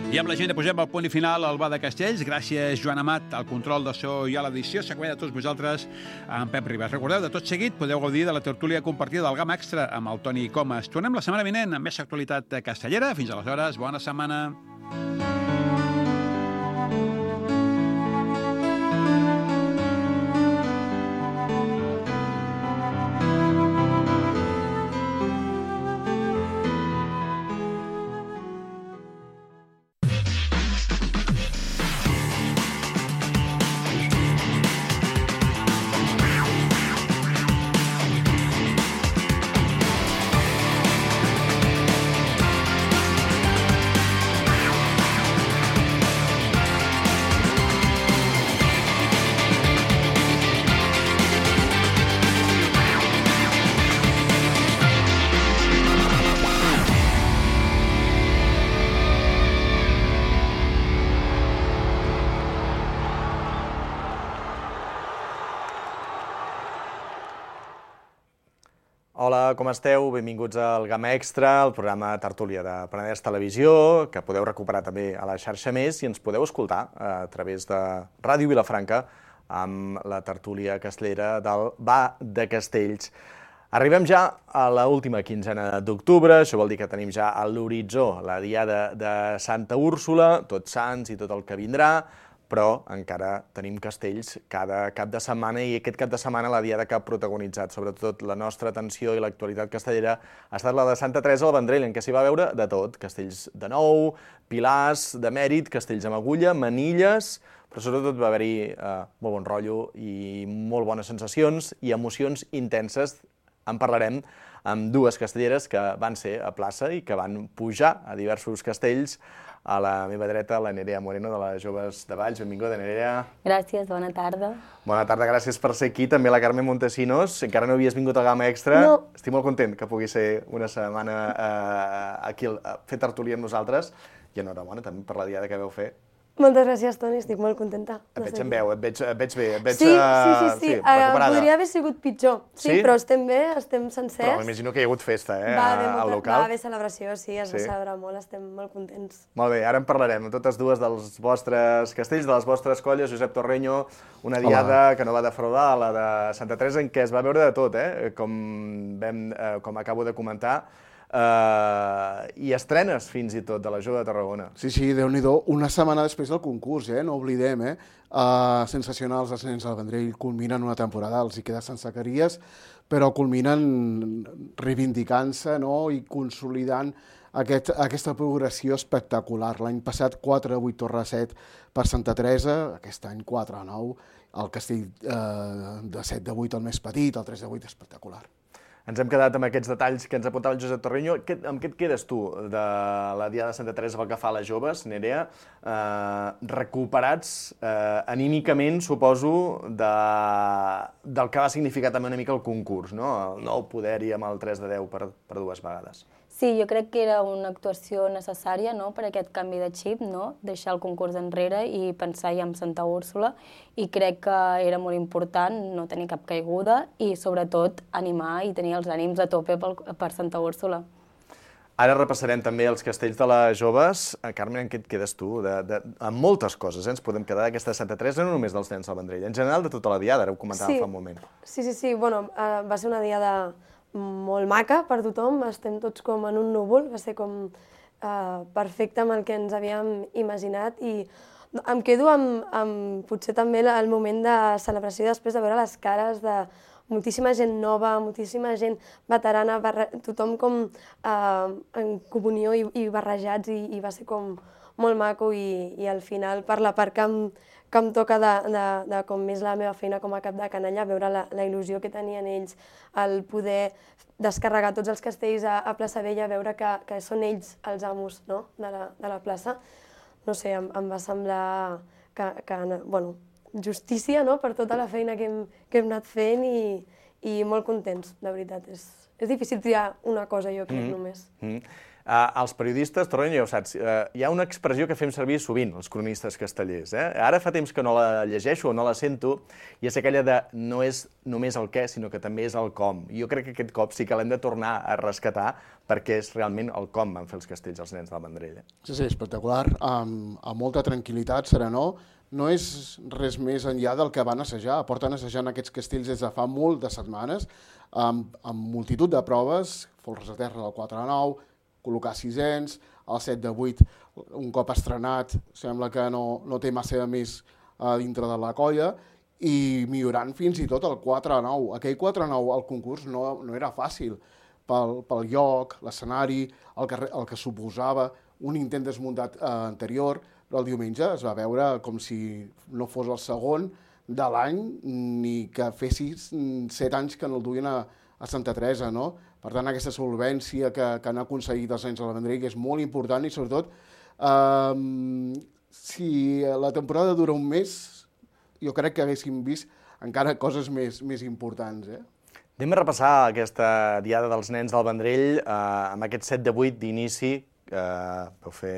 I amb la gent posem el punt i final al Bar de Castells. Gràcies, Joan Amat, al control de so i a l'edició. S'acompanya de tots vosaltres amb Pep Ribas. Recordeu, de tot seguit podeu gaudir de la tertúlia compartida del Gamma Extra amb el Toni Comas. Tornem la setmana vinent amb més actualitat castellera. Fins aleshores, bona setmana. Hola, com esteu? Benvinguts al Gamma Extra, el programa Tertúlia de Penedès Televisió, que podeu recuperar també a la xarxa Més i ens podeu escoltar a través de Ràdio Vilafranca amb la tertúlia castellera del Bar de Castells. Arribem ja a l'última quinzena d'octubre, això vol dir que tenim ja a l'horitzó la diada de Santa Úrsula, Tots Sants i tot el que vindrà, però encara tenim castells cada cap de setmana i aquest cap de setmana la diada que ha protagonitzat sobretot la nostra atenció i l'actualitat castellera ha estat la de Santa Teresa al Vendrell, en què s'hi va veure de tot, castells de nou, pilars de mèrit, castells amb agulla, manilles, però sobretot va haver-hi eh, molt bon rotllo i molt bones sensacions i emocions intenses. En parlarem amb dues castelleres que van ser a plaça i que van pujar a diversos castells. A la meva dreta, la Nerea Moreno, de les Joves de Valls. Benvinguda, Nerea. Gràcies, bona tarda. Bona tarda, gràcies per ser aquí. També la Carme Montesinos. Encara no havies vingut al Gamma Extra. No. Estic molt content que pugui ser una setmana eh, aquí a fer tertúlia amb nosaltres. I enhorabona també per la diada que vau fer. Moltes gràcies, Toni, estic molt contenta. Et veig en veu, et veig, et veig bé, et veig sí, sí, sí, sí. sí, recuperada. Podria haver sigut pitjor, sí, sí? Però estem bé, estem sencers. Però m'imagino que hi ha hagut festa, eh, va haver al molta, local. Va haver celebració, sí, es sí? va celebrar molt, estem molt contents. Molt bé, ara en parlarem, totes dues dels vostres castells, de les vostres colles. Josep Torreño, una diada Hola. que no va defraudar, la de Santa Teresa, en què es va veure de tot, eh? com, vam, eh, com acabo de comentar, Uh, i estrenes fins i tot de la Jove de Tarragona. Sí, sí, Déu-n'hi-do, una setmana després del concurs, eh? No oblidem, eh? Uh, sensacionals els nens del Vendrell, culminen una temporada, els hi queda sense caries, però culminen reivindicant-se, no? I consolidant aquest, aquesta progressió espectacular. L'any passat quatre a vuit torre a set per Santa Teresa, aquest any quatre a nou, el castell uh, de set a vuit el més petit, el tres a vuit espectacular. Ens hem quedat amb aquests detalls que ens apuntava el Josep Torreño. Amb què et quedes tu de la diada de Santa Teresa pel que fa a les joves, Nerea? Eh, recuperats eh, anímicament, suposo, de, del que va significar també una mica el concurs, no? El nou poder-hi amb el tres de deu per, per dues vegades. Sí, jo crec que era una actuació necessària, no?, per aquest canvi de xip, no?, deixar el concurs enrere i pensar ja en Santa Úrsula, i crec que era molt important no tenir cap caiguda i, sobretot, animar i tenir els ànims a tope pel, per Santa Úrsula. Ara repassarem també els castells de les joves. Carme, en què et quedes tu? De, de, amb moltes coses, eh? Ens podem quedar d'aquesta Santa Teresa, no només dels nens del Vendrell, en general de tota la diada, ara ho comentàvem sí. fa un moment. Sí, sí, sí, bueno, uh, va ser una diada molt maca per tothom, estem tots com en un núvol, va ser com uh, perfecte amb el que ens havíem imaginat i em quedo amb, amb potser també el moment de celebració després de veure les cares de moltíssima gent nova, moltíssima gent veterana, barre... tothom com uh, en comunió i, i barrejats i, i va ser com molt maco i, i al final per la part que em, que em toca de, de, de com més la meva feina com a cap de canalla, veure la, la il·lusió que tenien ells, el poder descarregar tots els castells a, a Plaça Vella, veure que, que són ells els amos, no?, de, la, de la plaça. No sé, em, em va semblar que, que bueno, justícia, no?, per tota la feina que hem, que hem anat fent i, i molt contents, de veritat. És, és difícil triar una cosa, jo crec, mm-hmm. només. Mm-hmm. Uh, els periodistes, Torrent, ja ho saps, uh, hi ha una expressió que fem servir sovint, els cronistes castellers. Eh? Ara fa temps que no la llegeixo o no la sento, i és aquella de no és només el què, sinó que també és el com. I jo crec que aquest cop sí que l'hem de tornar a rescatar, perquè és realment el com van fer els castells els nens del Vendrell. Eh? Sí, sí, espectacular, amb, amb molta tranquil·litat, serenor. No és res més enllà del que van assajar. Porten assajant aquests castells des de fa molt de setmanes, amb, amb multitud de proves, folres a terra del quatre a nou, col·locar sisens, el set de vuit, un cop estrenat, sembla que no, no té massa més uh, dintre de la colla, i millorant fins i tot el quatre a nou. Aquell quatre a nou al concurs no, no era fàcil, pel, pel lloc, l'escenari, el, que, el que suposava, un intent desmuntat uh, anterior, però el diumenge es va veure com si no fos el segon de l'any, ni que fessis set anys que no el duien a, a Santa Teresa, no? Per tant, aquesta solvència que, que han aconseguit els nens del Vendrell és molt important i, sobretot, eh, si la temporada dura un mes, jo crec que haguéssim vist encara coses més, més importants. Eh? Anem a repassar aquesta diada dels nens del Vendrell eh, amb aquest set de vuit d'inici, que eh, vau fer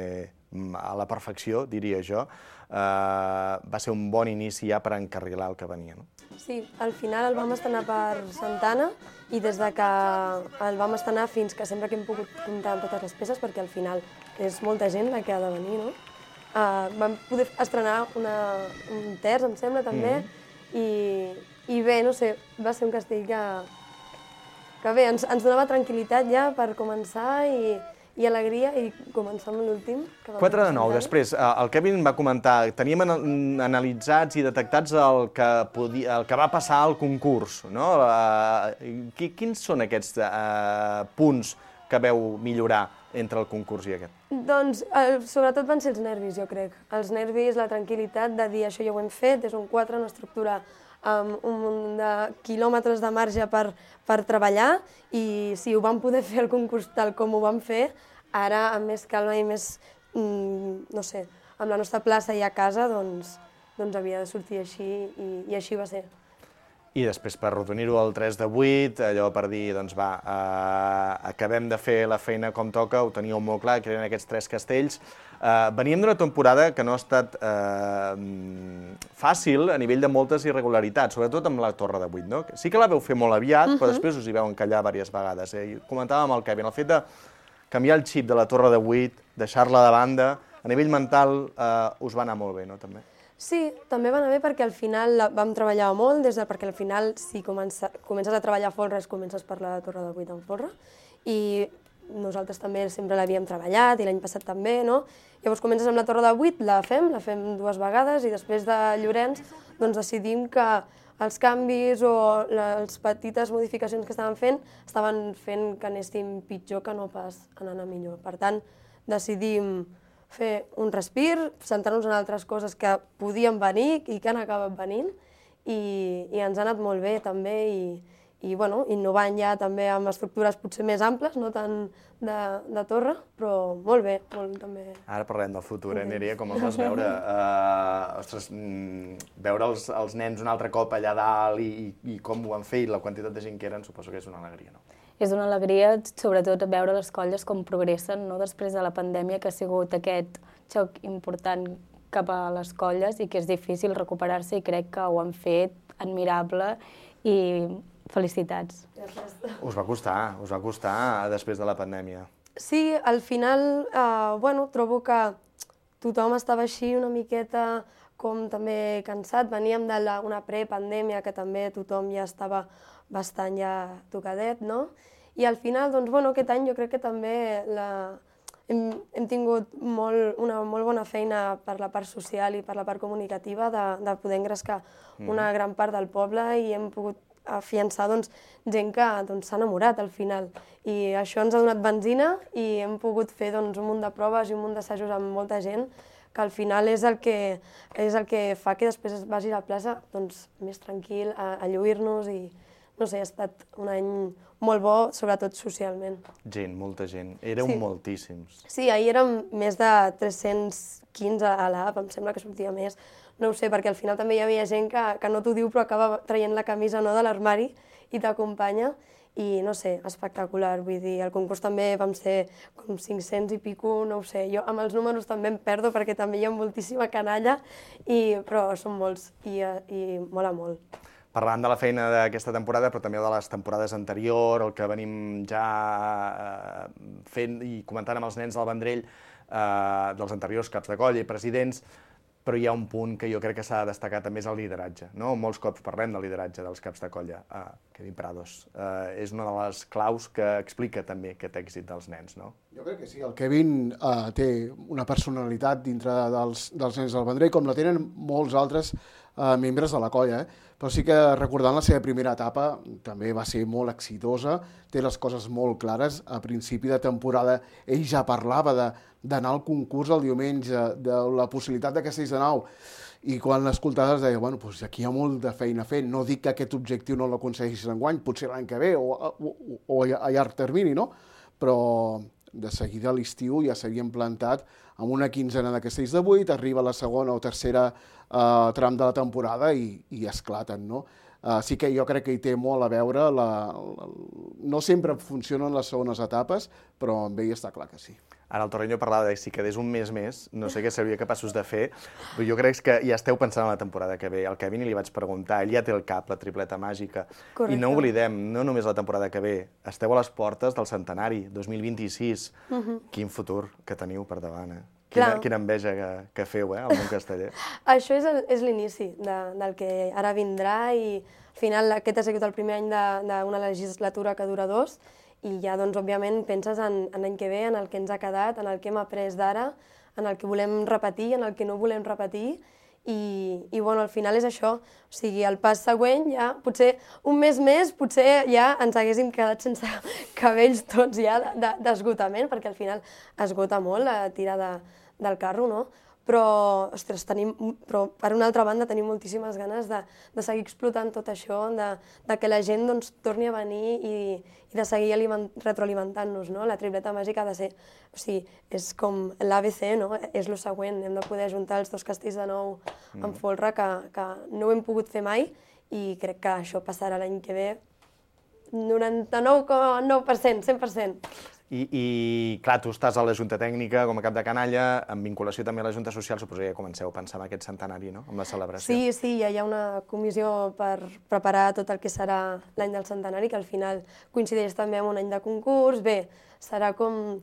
a la perfecció, diria jo. Eh, va ser un bon inici ja per encarrilar el que venia, no? Sí, al final el vam estrenar per Santana i des de que el vam estrenar fins que sempre que hem pogut comptar amb totes les peces, perquè al final és molta gent la que ha de venir, no? Uh, vam poder estrenar una, un terç, em sembla, també, mm. i, i bé, no sé, va ser un castell que, que bé, ens, ens donava tranquil·litat ja per començar i, i alegria, i començar amb l'últim. quatre de nou, després, el Kevin va comentar, teníem analitzats i detectats el que, podia, el que va passar al concurs, no? Quins són aquests uh, punts que veu millorar entre el concurs i aquest? Doncs, el, sobretot van ser els nervis, jo crec. Els nervis, la tranquil·litat de dir això ja ho hem fet, és un quatre, una estructura amb un munt de quilòmetres de marge per, per treballar, i si ho vam poder fer el concurs tal com ho vam fer, ara amb més calma i més, mm, no sé, amb la nostra plaça i a casa, doncs, doncs havia de sortir així, i, i així va ser. I després, per arrodonir-ho al tres de vuit, allò per dir, doncs va, eh, acabem de fer la feina com toca, ho teníeu molt clar, que eren aquests tres castells. Eh, veníem d'una temporada que no ha estat eh, fàcil a nivell de moltes irregularitats, sobretot amb la Torre de vuit, no? Sí que la veu fer molt aviat, uh -huh. però després us hi veu encallar diverses vegades. Eh? I comentàvem amb el Kevin, el fet de canviar el xip de la Torre de vuit, deixar-la de banda, a nivell mental eh, us va anar molt bé, no? També. Sí, també va anar bé perquè al final la vam treballar molt, des de, perquè al final si comença, comences a treballar folres, comences per la Torre de vuit en folre, i nosaltres també sempre l'havíem treballat, i l'any passat també, no? Llavors comences amb la Torre de vuit, la fem, la fem dues vegades, i després de Llorenç doncs decidim que els canvis o les petites modificacions que estaven fent estaven fent que anéssim pitjor que no pas anant a millor. Per tant, decidim fer un respir, centrar-nos en altres coses que podien venir i que han acabat venint, i, i ens ha anat molt bé també, i, i bueno, innovant ja també amb estructures potser més amples, no tant de, de torre, però molt bé, molt també. Ara parlem del futur, eh, Nerea, com el vas veure? Uh, ostres, mm, veure els, els nens un altre cop allà dalt i, i, i com ho han fet i la quantitat de gent que eren, suposo que és una alegria, no? És una alegria, sobretot, veure les colles com progressen, no? Després de la pandèmia, que ha sigut aquest xoc important cap a les colles i que és difícil recuperar-se, i crec que ho han fet admirable, i felicitats. Us va costar, us va costar després de la pandèmia. Sí, al final, eh, bueno, trobo que tothom estava així una miqueta com també cansat. Veníem d'una prepandèmia que també tothom ja estava bastant ja tocadet, no? I al final, doncs, bueno, aquest any jo crec que també la... hem, hem tingut molt, una molt bona feina per la part social i per la part comunicativa de, de poder engrescar una gran part del poble, i hem pogut afiançar doncs, gent que s'ha doncs, enamorat al final. I això ens ha donat benzina, i hem pogut fer doncs, un munt de proves i un munt d'assajos amb molta gent, que al final és el que, és el que fa que després vagis a la plaça doncs, més tranquil, a, a lluir-nos, i no sé, ha estat un any molt bo, sobretot socialment. Gent, molta gent. Éreu sí. moltíssims. Sí, ahir érem més de tres-cents quinze a l'app, em sembla que sortia més. No ho sé, perquè al final també hi havia gent que, que no t'ho diu però acaba traient la camisa no, de l'armari, i t'acompanya, i no sé, espectacular, vull dir, el concurs també vam ser com cinc-cents i pico, no ho sé, jo amb els números també em perdo perquè també hi ha moltíssima canalla, i, però són molts i, i mola molt. Parlant de la feina d'aquesta temporada, però també de les temporades anteriors, el que venim ja eh, fent i comentant amb els nens del Vendrell, eh, dels anteriors caps de colla i presidents, però hi ha un punt que jo crec que s'ha de destacar també, és el lideratge. No? Molts cops parlem del lideratge dels caps de colla. Uh, Kevin Prados uh, és una de les claus que explica també aquest èxit dels nens, no? Jo crec que sí, el Kevin uh, té una personalitat dintre dels, dels nens del Vendrell, com la tenen molts altres uh, membres de la colla, eh? Però sí que recordant la seva primera etapa també va ser molt exitosa, té les coses molt clares. A principi de temporada ell ja parlava de d'anar al concurs el diumenge, de la possibilitat de Castells de Nau, i quan l'escoltaves deia, bueno, doncs aquí hi ha molt de feina fent, no dic que aquest objectiu no l'aconsegueixis enguany, potser l'any que ve, o, o, o a llarg termini, no? Però de seguida a l'estiu ja s'havien plantat amb una quinzena de Castells de vuit, arriba la segona o tercera eh, tram de la temporada i, i esclaten, no? Uh, sí que jo crec que hi té molt a veure, la, la, no sempre funcionen les segones etapes, però amb ell està clar que sí. Ara el Torreño parlava de si quedés un mes més, no sé què seria capaços de fer, però jo crec que ja esteu pensant en la temporada que ve. Al Kevin li vaig preguntar, ell ja té el cap, la tripleta màgica. Correcte. I no oblidem, no només la temporada que ve, esteu a les portes del centenari, dos mil vint-i-sis. Uh-huh. Quin futur que teniu per davant, eh? Quina, quina enveja que, que feu, eh, al món casteller. Això és, el, és l'inici de, del que ara vindrà, i al final aquest ha sigut el primer any d'una legislatura que dura dos, i ja, doncs, òbviament, penses en, en l'any que ve, en el que ens ha quedat, en el que hem après d'ara, en el que volem repetir, en el que no volem repetir, i, i bueno, al final és això. O sigui, el pas següent, ja, potser un mes més, potser ja ens haguéssim quedat sense cabells tots ja d'esgotament, perquè al final esgota molt la tira de, del carro, no? Però, ostres, tenim, però per una altra banda tenim moltíssimes ganes de, de seguir explotant tot això, de, de que la gent, doncs, torni a venir i, i de seguir aliment, retroalimentant-nos, no? La tripleta màgica ha de ser, o sigui, és com l'A B C, no? És el següent, hem de poder juntar els dos castells de nou en folre, que, que no ho hem pogut fer mai, i crec que això passarà l'any que ve noranta-nou coma nou per cent, cent per cent. I, i, clar, tu estàs a la Junta Tècnica com a cap de canalla, en vinculació també a la Junta Social, suposo que ja comenceu a pensar en aquest centenari, no?, amb la celebració. Sí, sí, ja hi ha una comissió per preparar tot el que serà l'any del centenari, que al final coincideix també amb un any de concurs. Bé, serà com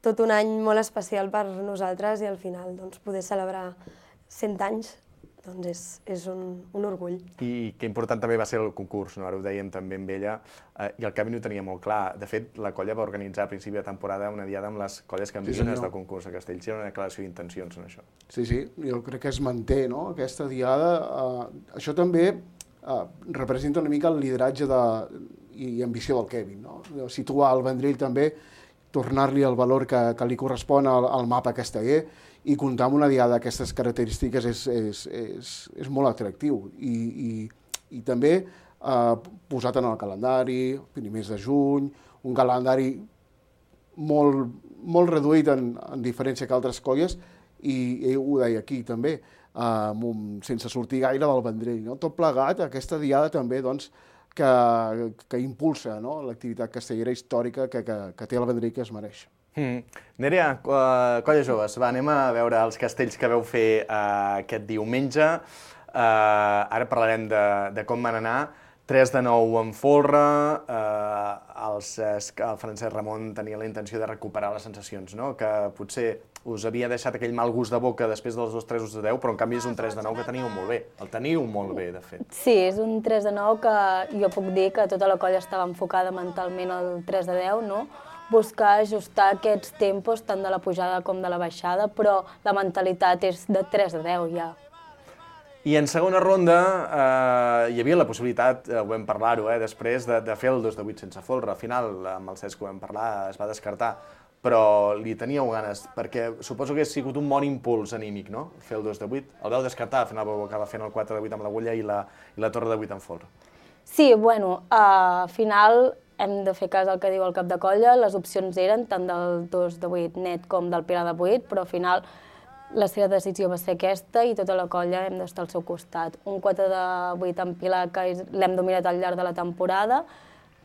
tot un any molt especial per nosaltres, i al final, doncs, poder celebrar cent anys, doncs és, és un, un orgull. I que important també va ser el concurs, no? Ara ho dèiem també amb ella, eh, i el Kevin ho tenia molt clar. De fet, la colla va organitzar a principi de temporada una diada amb les colles campiones sí, del concurs a Castells. Hi ha una declaració d'intencions en això. Sí, sí, jo crec que es manté, no?, aquesta diada. Eh, això també eh, representa una mica el lideratge de, i ambició del Kevin, no? Situar el Vendrell també, tornar-li el valor que, que li correspon al, al mapa casteller, i comptar amb una diada d'aquestes característiques és, és, és, és molt atractiu. I, i, i també eh, posat en el calendari, primers de juny, un calendari molt, molt reduït en, en diferència que altres colles, i ell ho deia aquí també, eh, sense sortir gaire del Vendrell, no? Tot plegat, aquesta diada també, doncs, que, que impulsa, no?, l'activitat castellera històrica que, que, que té el Vendrell, que es mereix. Mm. Nerea, uh, colla joves, va, anem a veure els castells que veu fer uh, aquest diumenge. Uh, ara parlarem de, de com van anar. tres de nou en folre, uh, els, el Francesc Ramon tenia la intenció de recuperar les sensacions, no?, que potser us havia deixat aquell mal gust de boca després dels dos tres de deu, però en canvi és un tres de nou que teniu molt bé. El teniu molt bé, de fet. Sí, és un tres de nou que jo puc dir que tota la colla estava enfocada mentalment al tres de deu, no?, buscar ajustar aquests tempos tant de la pujada com de la baixada, però la mentalitat és de tres de deu ja. I en segona ronda eh, hi havia la possibilitat, eh, ho vam parlar-ho, eh, després de, de fer el dos de vuit sense folre. Al final, amb el Cesc ho vam parlar, es va descartar, però li teníeu ganes, perquè suposo que ha sigut un bon impuls anímic, no?, fer el dos de vuit. El vau descartar, al final vau acabar fent el quatre de vuit amb l'agulla i la, i la torre de vuit en folre. Sí, bueno, uh, al final hem de fer cas al que diu el cap de colla. Les opcions eren tant del dos de vuit net com del Pilar de vuit, però al final la seva decisió va ser aquesta i tota la colla hem d'estar al seu costat. Un quatre de vuit en Pilar que l'hem dominat al llarg de la temporada,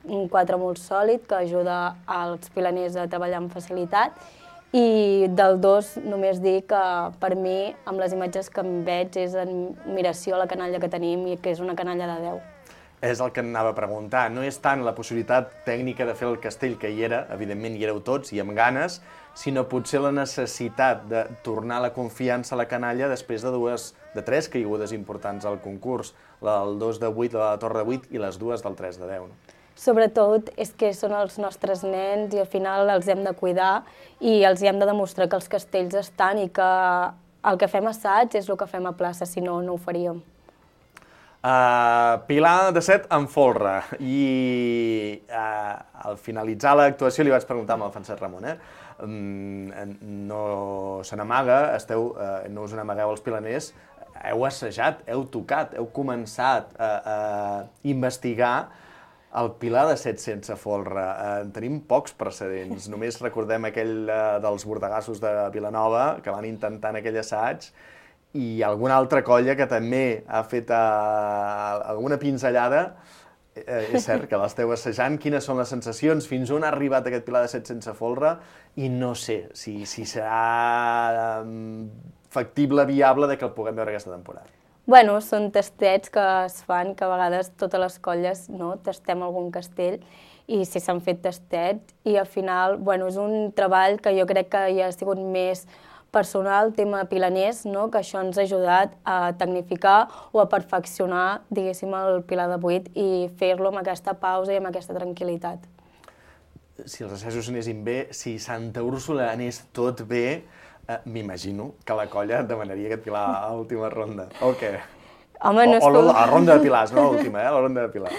un quatre molt sòlid que ajuda als pilaners a treballar amb facilitat i del dos només dir que per mi, amb les imatges que em veig, és admiració a la canalla que tenim i que és una canalla de deu. És el que anava a preguntar. No és tant la possibilitat tècnica de fer el castell, que hi era, evidentment hi éreu tots i amb ganes, sinó potser la necessitat de tornar la confiança a la canalla després de dues, de tres caigudes importants al concurs, la del dos de vuit, la de la torre de vuit i les dues del tres de deu. Sobretot és que són els nostres nens i al final els hem de cuidar i els hem de demostrar que els castells estan i que el que fem a assaig és el que fem a plaça, si no, no ho faríem. Uh, Pilar de set en folre i uh, al finalitzar l'actuació li vaig preguntar amb el Francesc Ramon, eh? Um, no se n'amaga, esteu, uh, no us n'amagueu els pilaners, heu assajat, heu tocat, heu començat a, a investigar el Pilar de set sense folre. Uh, tenim pocs precedents, només recordem aquell uh, dels bordegassos de Vilanova que van intentar en aquell assaig i alguna altra colla que també ha fet uh, alguna pinzellada. Eh, és cert que l'esteu assajant. Quines són les sensacions? Fins on ha arribat aquest Pilar de set sense folre? I no sé si, si serà um, factible, viable, de que el puguem veure aquesta temporada. Bueno, són tastets que es fan, que a vegades totes les colles no, tastem algun castell i si s'han fet tastets i al final bueno, és un treball que jo crec que ja ha sigut més personal, tema pilaners, no? Que això ens ha ajudat a tecnificar o a perfeccionar, diguéssim, el Pilar de vuit i fer-lo amb aquesta pausa i amb aquesta tranquil·litat. Si els assajos anessin bé, si Santa Úrsula anés tot bé, eh, m'imagino que la colla demanaria aquest Pilar a l'última ronda. O què? Home, no o, o la ronda de Pilars, no l'última, eh? La ronda de Pilar.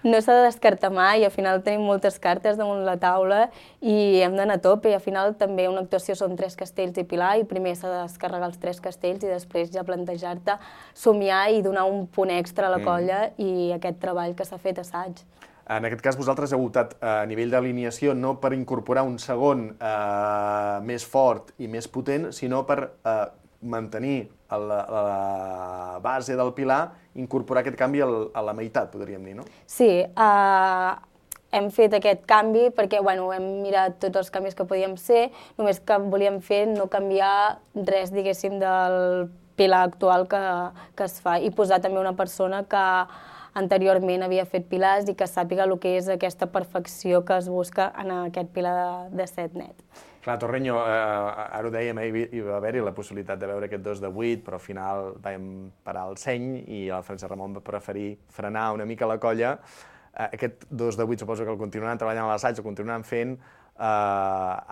No s'ha de descartar mai, al final tenim moltes cartes damunt la taula i hem d'anar a tope, i al final també una actuació són tres castells i Pilar, i primer s'ha de descarregar els tres castells i després ja plantejar-te somiar i donar un punt extra a la colla mm. i aquest treball que s'ha fet assaig. En aquest cas, vosaltres heu optat a nivell d'alineació no per incorporar un segon eh, més fort i més potent, sinó per eh, mantenir a la, a la base del Pilar, incorporar aquest canvi al, a la meitat, podríem dir, no? Sí, uh, hem fet aquest canvi perquè bueno, hem mirat tots els canvis que podíem ser, només que volíem fer no canviar res, diguéssim, del Pilar actual que, que es fa i posar també una persona que anteriorment havia fet pilars i que sàpiga el que és aquesta perfecció que es busca en aquest Pilar de, de set net. Clar, Torreño, eh, ara ho dèiem, eh, hi va haver-hi la possibilitat de veure aquest dos de vuit, però al final vam parar el seny i el Francesc Ramon va preferir frenar una mica la colla. Eh, aquest dos de vuit suposo que el continuaran treballant a l'assaig, el continuaran fent. Eh,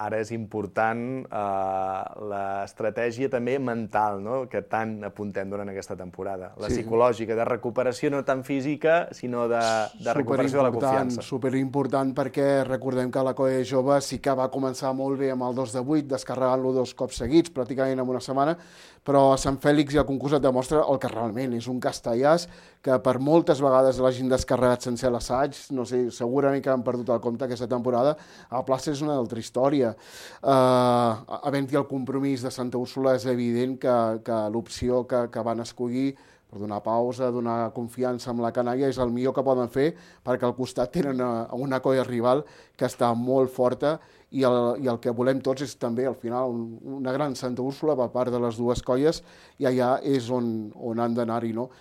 ara és important eh, l'estratègia també mental, no?, que tant apuntem durant aquesta temporada. La sí. psicològica, de recuperació no tant física, sinó de, de recuperació de la confiança. Superimportant perquè recordem que la colla jove sí que va començar molt bé amb el dos de vuit, descarregant-lo dos cops seguits, pràcticament en una setmana, però a Sant Fèlix i el concurs et demostra el que realment és un castellàs que per moltes vegades l'hagin descarregat sense l'assaig, no sé, segurament que han perdut el compte aquesta temporada. A plaça és una altra història. Uh, Havent-hi el compromís de Santa Úrsula és evident que, que l'opció que, que van escollir per donar pausa, donar confiança amb la canalla és el millor que poden fer perquè al costat tenen una, una colla rival que està molt forta i el, i el que volem tots és també al final una gran Santa Úrsula per part de les dues colles i allà és on, on han d'anar-hi, no?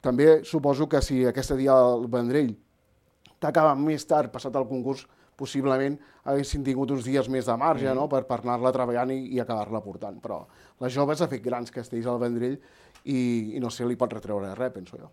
També suposo que si aquest dia el Vendrell t'acaba més tard passat el concurs, possiblement haguessin tingut uns dies més de marge, no?, per, per anar-la treballant i, i acabar-la portant. Però les joves ha fet grans castells al Vendrell i, i no sé, li pot retreure res, penso jo.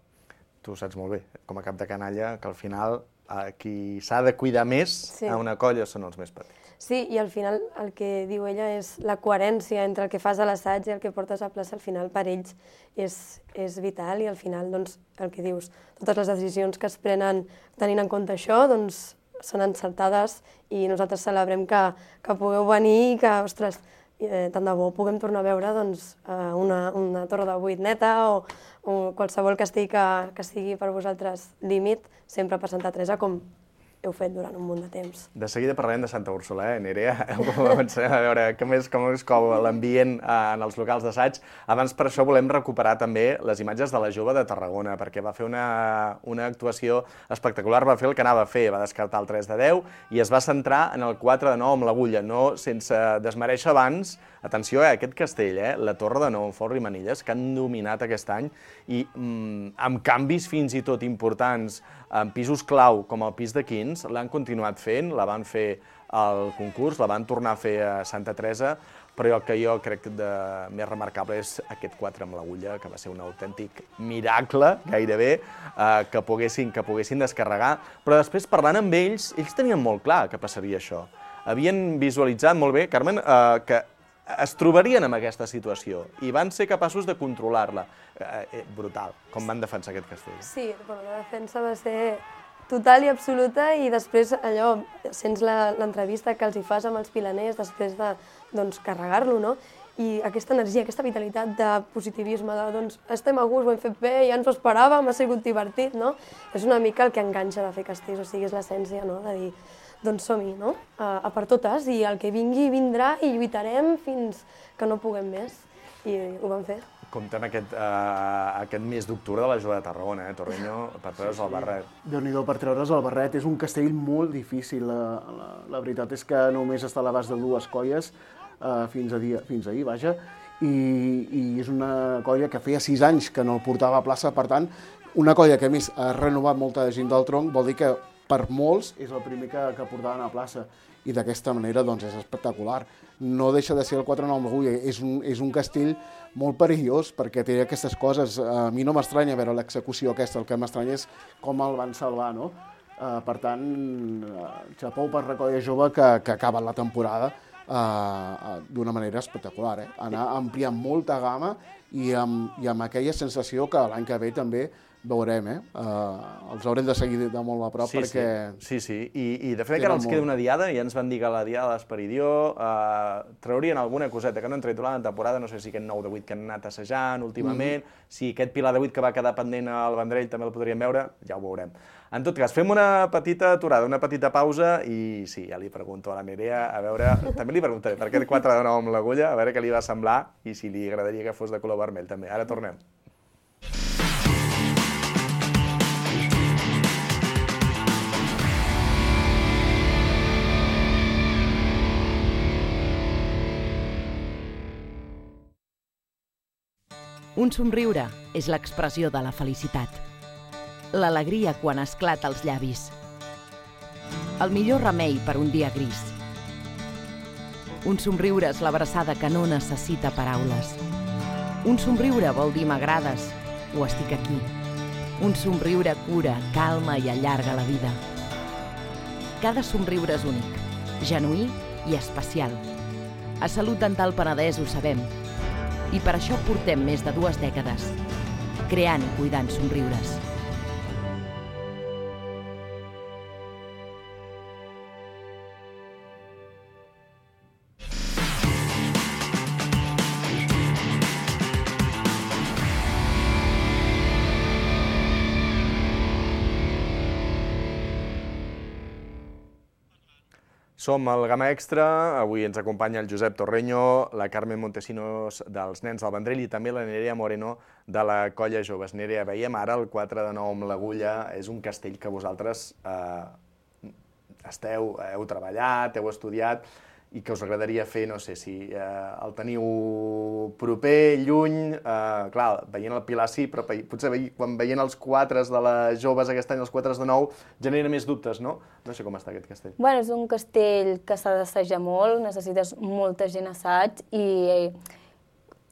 Tu ho saps molt bé, com a cap de canalla, que al final eh, qui s'ha de cuidar més sí. a una colla són els més petits. Sí, i al final el que diu ella és la coherència entre el que fas a l'assaig i el que portes a plaça, al final per ells és, és vital i al final, doncs, el que dius, totes les decisions que es prenen tenint en compte això, doncs, són encertades i nosaltres celebrem que, que pugueu venir i que, ostres, eh, tant de bo puguem tornar a veure doncs, una, una torre de vuit neta o, o qualsevol castell que, que sigui per vosaltres límit, sempre per Santa Teresa, com heu fet durant un munt de temps. De seguida parlarem de Santa Úrsula, eh, Nerea? Començarem a veure com és, com és com l'ambient en els locals d'assaig. Abans, per això, volem recuperar també les imatges de la Jove de Tarragona, perquè va fer una, una actuació espectacular, va fer el que anava a fer, va descartar el tres de deu i es va centrar en el quatre de nou amb l'agulla, no sense desmereixer abans. Atenció, eh, aquest castell, eh, la Torre de Nou, Folra i Manilles, que han dominat aquest any i mm, amb canvis fins i tot importants en pisos clau com el pis de Quins, l'han continuat fent, la van fer al concurs, la van tornar a fer a Santa Teresa, però el que jo crec de més remarcable és aquest quatre amb l'agulla, que va ser un autèntic miracle, gairebé, eh, que, poguessin, que poguessin descarregar. Però després, parlant amb ells, ells tenien molt clar que passaria això. Havien visualitzat molt bé, Carmen, eh, que es trobarien en aquesta situació i van ser capaços de controlar-la. Eh, brutal, com van defensar aquest castell. Sí, bueno, la defensa va ser total i absoluta i després allò, sents l'entrevista que els hi fas amb els pilaners després de doncs, carregar-lo, no? I aquesta energia, aquesta vitalitat de positivisme, de doncs estem a gust, ho hem fet bé, ja ens ho esperàvem, ha sigut divertit, no? És una mica el que enganxa de fer castells, o sigui, és l'essència, no?, de dir doncs som-hi, no? A, a per totes, i el que vingui vindrà i lluitarem fins que no puguem més. I ho vam fer. Comptem aquest, uh, aquest mes d'octubre de la Jove de Tarragona, eh, Torreño, per treure's el barret. Déu-n'hi-do, per treure's el barret. És un castell molt difícil. La, la, la veritat és que només està a l'abast de dues colles uh, fins, a dia, fins ahir, vaja, i, i és una colla que feia sis anys que no el portava a plaça, per tant, una colla que a més ha renovat molta gent del tronc, vol dir que per molts és el primer que, que portaven a plaça i d'aquesta manera doncs, és espectacular. No deixa de ser el quatre nou amb l'agulla, és, un, és un castell molt perillós perquè té aquestes coses. A mi no m'estranya veure l'execució aquesta, el que m'estranya és com el van salvar, no? Uh, per tant, uh, xapou per la colla jove que, que acaba la temporada uh, uh, d'una manera espectacular. Eh? Anar ampliant molta gamma i amb, i amb aquella sensació que l'any que ve també veurem, eh? Uh, els haurem de seguir de molt a prop sí, perquè... Sí, sí, sí. I, i de fet encara els queda una diada, ja ens van dir que la diada d'Esperidió uh, traurien alguna coseta que no han tret durant la temporada, no sé si aquest nou de vuit que han anat assajant últimament, mm. si aquest pilar de vuit que va quedar pendent al Vendrell també el podríem veure, ja ho veurem. En tot cas, fem una petita aturada, una petita pausa i sí, ja li pregunto a la Nerea, a veure, també li preguntaré per aquest quatre de nou amb l'agulla, a veure què li va semblar i si li agradaria que fos de color vermell també. Ara tornem. Un somriure és l'expressió de la felicitat. L'alegria quan esclata als llavis. El millor remei per un dia gris. Un somriure és l'abraçada que no necessita paraules. Un somriure vol dir m'agrades o estic aquí. Un somriure cura, calma i allarga la vida. Cada somriure és únic, genuí i especial. A Salut Dental Penedès ho sabem. I per això portem més de dues dècades, creant i cuidant somriures. Som al Gamma Extra, avui ens acompanya el Josep Torreño, la Carmen Montesinos dels Nens del Vendrell i també la Nerea Moreno de la Colla Joves. Nerea, veiem ara el quatre de nou amb l'agulla, és un castell que vosaltres eh, esteu, heu treballat, heu estudiat i que us agradaria fer, no sé si eh, el teniu proper, lluny, eh, clar, veient el Pilar sí, però potser ve, quan veient els quatres de les joves aquest any, els quatres de nou, genera més dubtes, no? No sé com està aquest castell. Bueno, és un castell que s'ha d'assajar molt, necessites molta gent assaig i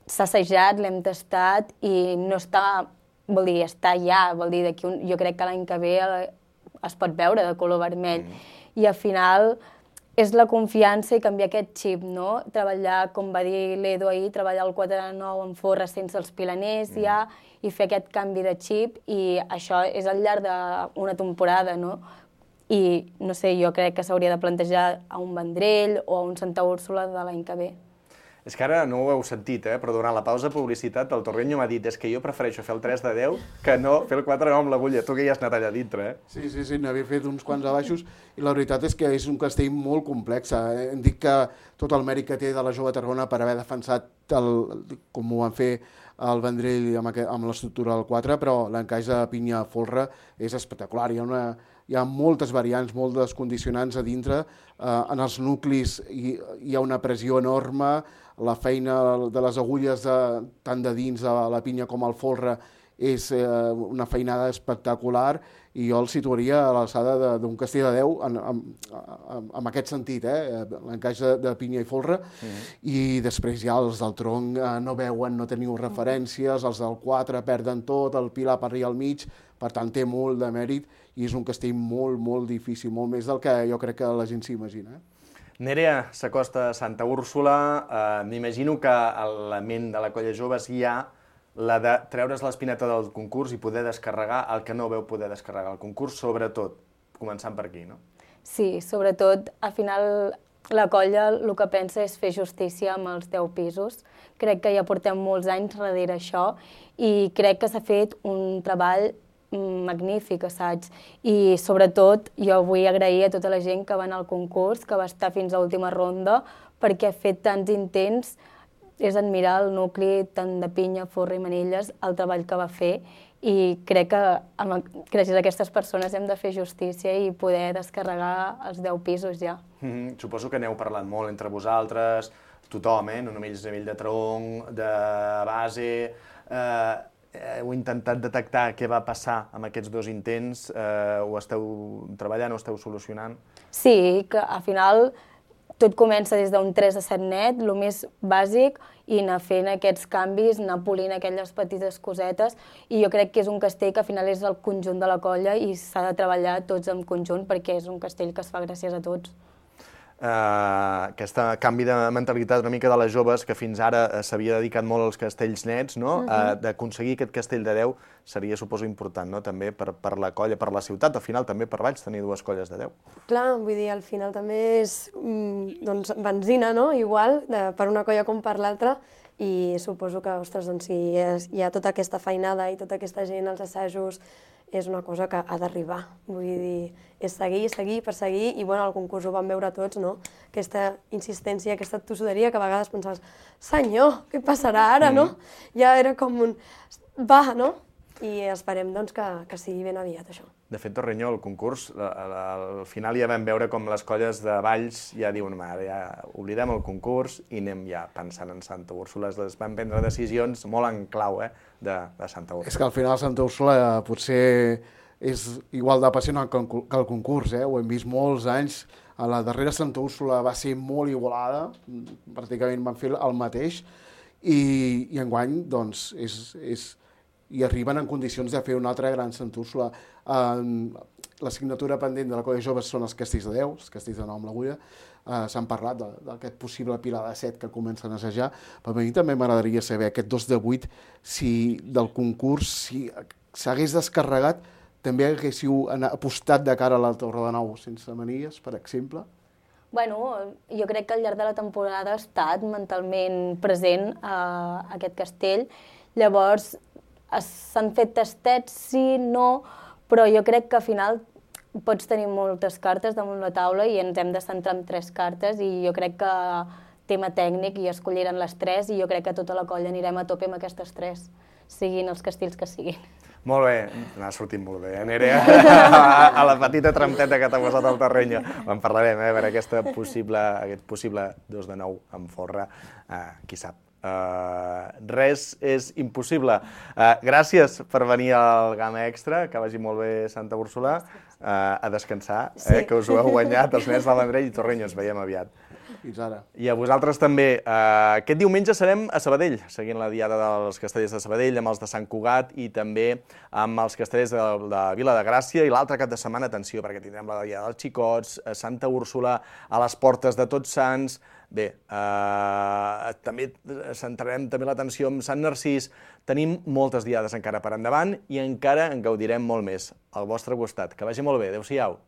s'ha assajat, l'hem tastat i no està, vol dir, està ja, vol dir, d'aquí un, jo crec que l'any que ve es pot veure de color vermell. Mm. I al final és la confiança i canviar aquest xip, no? Treballar, com va dir l'Edu ahir, treballar el quatre de nou en forra sense els pilaners mm. ja i fer aquest canvi de xip i això és al llarg d'una temporada, no? I, no sé, jo crec que s'hauria de plantejar a un Vendrell o a un Santa Úrsula de l'any que ve. És que ara no ho heu sentit, eh? Però durant la pausa de publicitat el Torreño m'ha dit és que jo prefereixo fer el tres de deu que no fer el quatre de nou amb l'agulla. Tu que hi has anat allà dintre, eh? Sí, sí, sí, n'havia fet uns quants abaixos i la veritat és que és un castell molt complex. Hem dit que tot el mèrit que té de la Jove Tarragona per haver defensat el, com ho van fer el Vendrell amb, aquest, amb l'estructura del quatre, però l'encaix de Pinya-Folre és espectacular. Hi ha, una, hi ha moltes variants, moltes condicionants a dintre. Eh, en els nuclis hi, hi ha una pressió enorme. La feina de les agulles de, tant de dins de la pinya com al folre és eh, una feinada espectacular i jo el situaria a l'alçada d'un castell de deu en, en, en, en aquest sentit, eh? L'encaix de, de pinya i folre. Mm-hmm. I després ja els del tronc eh, no veuen, no teniu referències, els del quatre perden tot, el pilar per allà al mig, per tant té molt de mèrit i és un castell molt, molt difícil, molt més del que jo crec que la gent s'imagina. Eh? Nerea s'acosta a Santa Úrsula. Eh, M'imagino que a la ment de la colla joves hi ha la de treure's l'espineta del concurs i poder descarregar el que no veu poder descarregar el concurs, sobretot, començant per aquí, no? Sí, sobretot, al final la colla el que pensa és fer justícia amb els deu pisos. Crec que ja portem molts anys darrere això i crec que s'ha fet un treball magnífic assaig i sobretot jo vull agrair a tota la gent que va anar al concurs, que va estar fins a l'última ronda perquè ha fet tants intents, és admirar el nucli tant de Pinya, Folre i Manilles, el treball que va fer i crec que amb, gràcies a aquestes persones hem de fer justícia i poder descarregar els deu pisos ja. Mm-hmm. Suposo que n'heu parlat molt entre vosaltres, tothom, eh? No només a nivell de tronc, de base... Eh... Heu intentat detectar què va passar amb aquests dos intents? Eh, ho esteu treballant, ho esteu solucionant? Sí, que al final tot comença des d'un tres a set net, el més bàsic, i anar fent aquests canvis, anar polint aquelles petites cosetes, i jo crec que és un castell que al final és el conjunt de la colla i s'ha de treballar tots en conjunt perquè és un castell que es fa gràcies a tots. Uh, aquest canvi de mentalitat una mica de les joves, que fins ara uh, s'havia dedicat molt als castells nets, no? Uh-huh. uh, d'aconseguir aquest castell de deu seria, suposo, important, no? També per, per la colla, per la ciutat, al final també per Valls tenir dues colles de deu. Clar, vull dir, al final també és mm, doncs, benzina, no? Igual, de, per una colla com per l'altra, i suposo que, ostres, doncs, si hi ha, hi ha tota aquesta feinada i tota aquesta gent als assajos, és una cosa que ha d'arribar. Vull dir, és seguir, seguir, perseguir, i bueno, al concurs ho vam veure tots, no? Aquesta insistència, aquesta tossuderia que a vegades pensaves, senyor, què passarà ara, no? Ja era com un, va, no? I esperem doncs, que, que sigui ben aviat això. De fet, Torreño, el concurs, al final ja vam veure com les colles de Valls ja diuen, ara ja oblidem el concurs i anem ja pensant en Santa Úrsula. Es van prendre decisions molt en clau, eh, de, de Santa Úrsula. És que al final Santa Úrsula potser és igual d'apassionant que el concurs, eh? Ho hem vist molts anys. A la darrera Santa Úrsula va ser molt igualada, pràcticament van fer el mateix, i, i enguany, doncs, és... és i arriben en condicions de fer una altra gran Santa Úrsula. Uh, L'assignatura pendent de la colla joves són els castells de deu, els castells de nou amb l'agulla. Uh, S'han parlat d'aquest possible pilar de set que comencen a assajar, però a mi també m'agradaria saber aquest dos de vuit, si del concurs, si s'hagués descarregat, també haguéssiu apostat de cara a la Torre de Nou sense manilles, per exemple? Bueno, jo crec que al llarg de la temporada ha estat mentalment present a aquest castell. Llavors, s'han fet tastets, sí, no, però jo crec que al final pots tenir moltes cartes damunt la taula i ens hem de centrar en tres cartes i jo crec que tema tècnic i escolliran les tres i jo crec que tota la colla anirem a tope amb aquestes tres, siguin els castells que siguin. Molt bé, n'ha sortit molt bé, eh, Nerea? A la petita trampeta que t'ha posat al Torreño. En parlarem, eh, per aquesta possible, aquest possible dos de nou amb Folre, uh, qui sap. Uh, res és impossible. Uh, gràcies per venir al Gamma Extra, que vagi molt bé Santa Úrsula, uh, a descansar, sí. eh, que us ho heu guanyat, els nens del Vendrell i Torreño, ens veiem aviat. Fins ara. I a vosaltres també. Uh, aquest diumenge serem a Sabadell, seguint la diada dels castellers de Sabadell, amb els de Sant Cugat i també amb els castellers de, de Vila de Gràcia. I l'altre cap de setmana, atenció, perquè tindrem la diada dels Xicots, a Santa Úrsula, a les portes de Tots Sants. Bé, eh, també centrarem també l'atenció en Sant Narcís. Tenim moltes diades encara per endavant i encara en gaudirem molt més al vostre costat. Que vagi molt bé. Adéu-siau.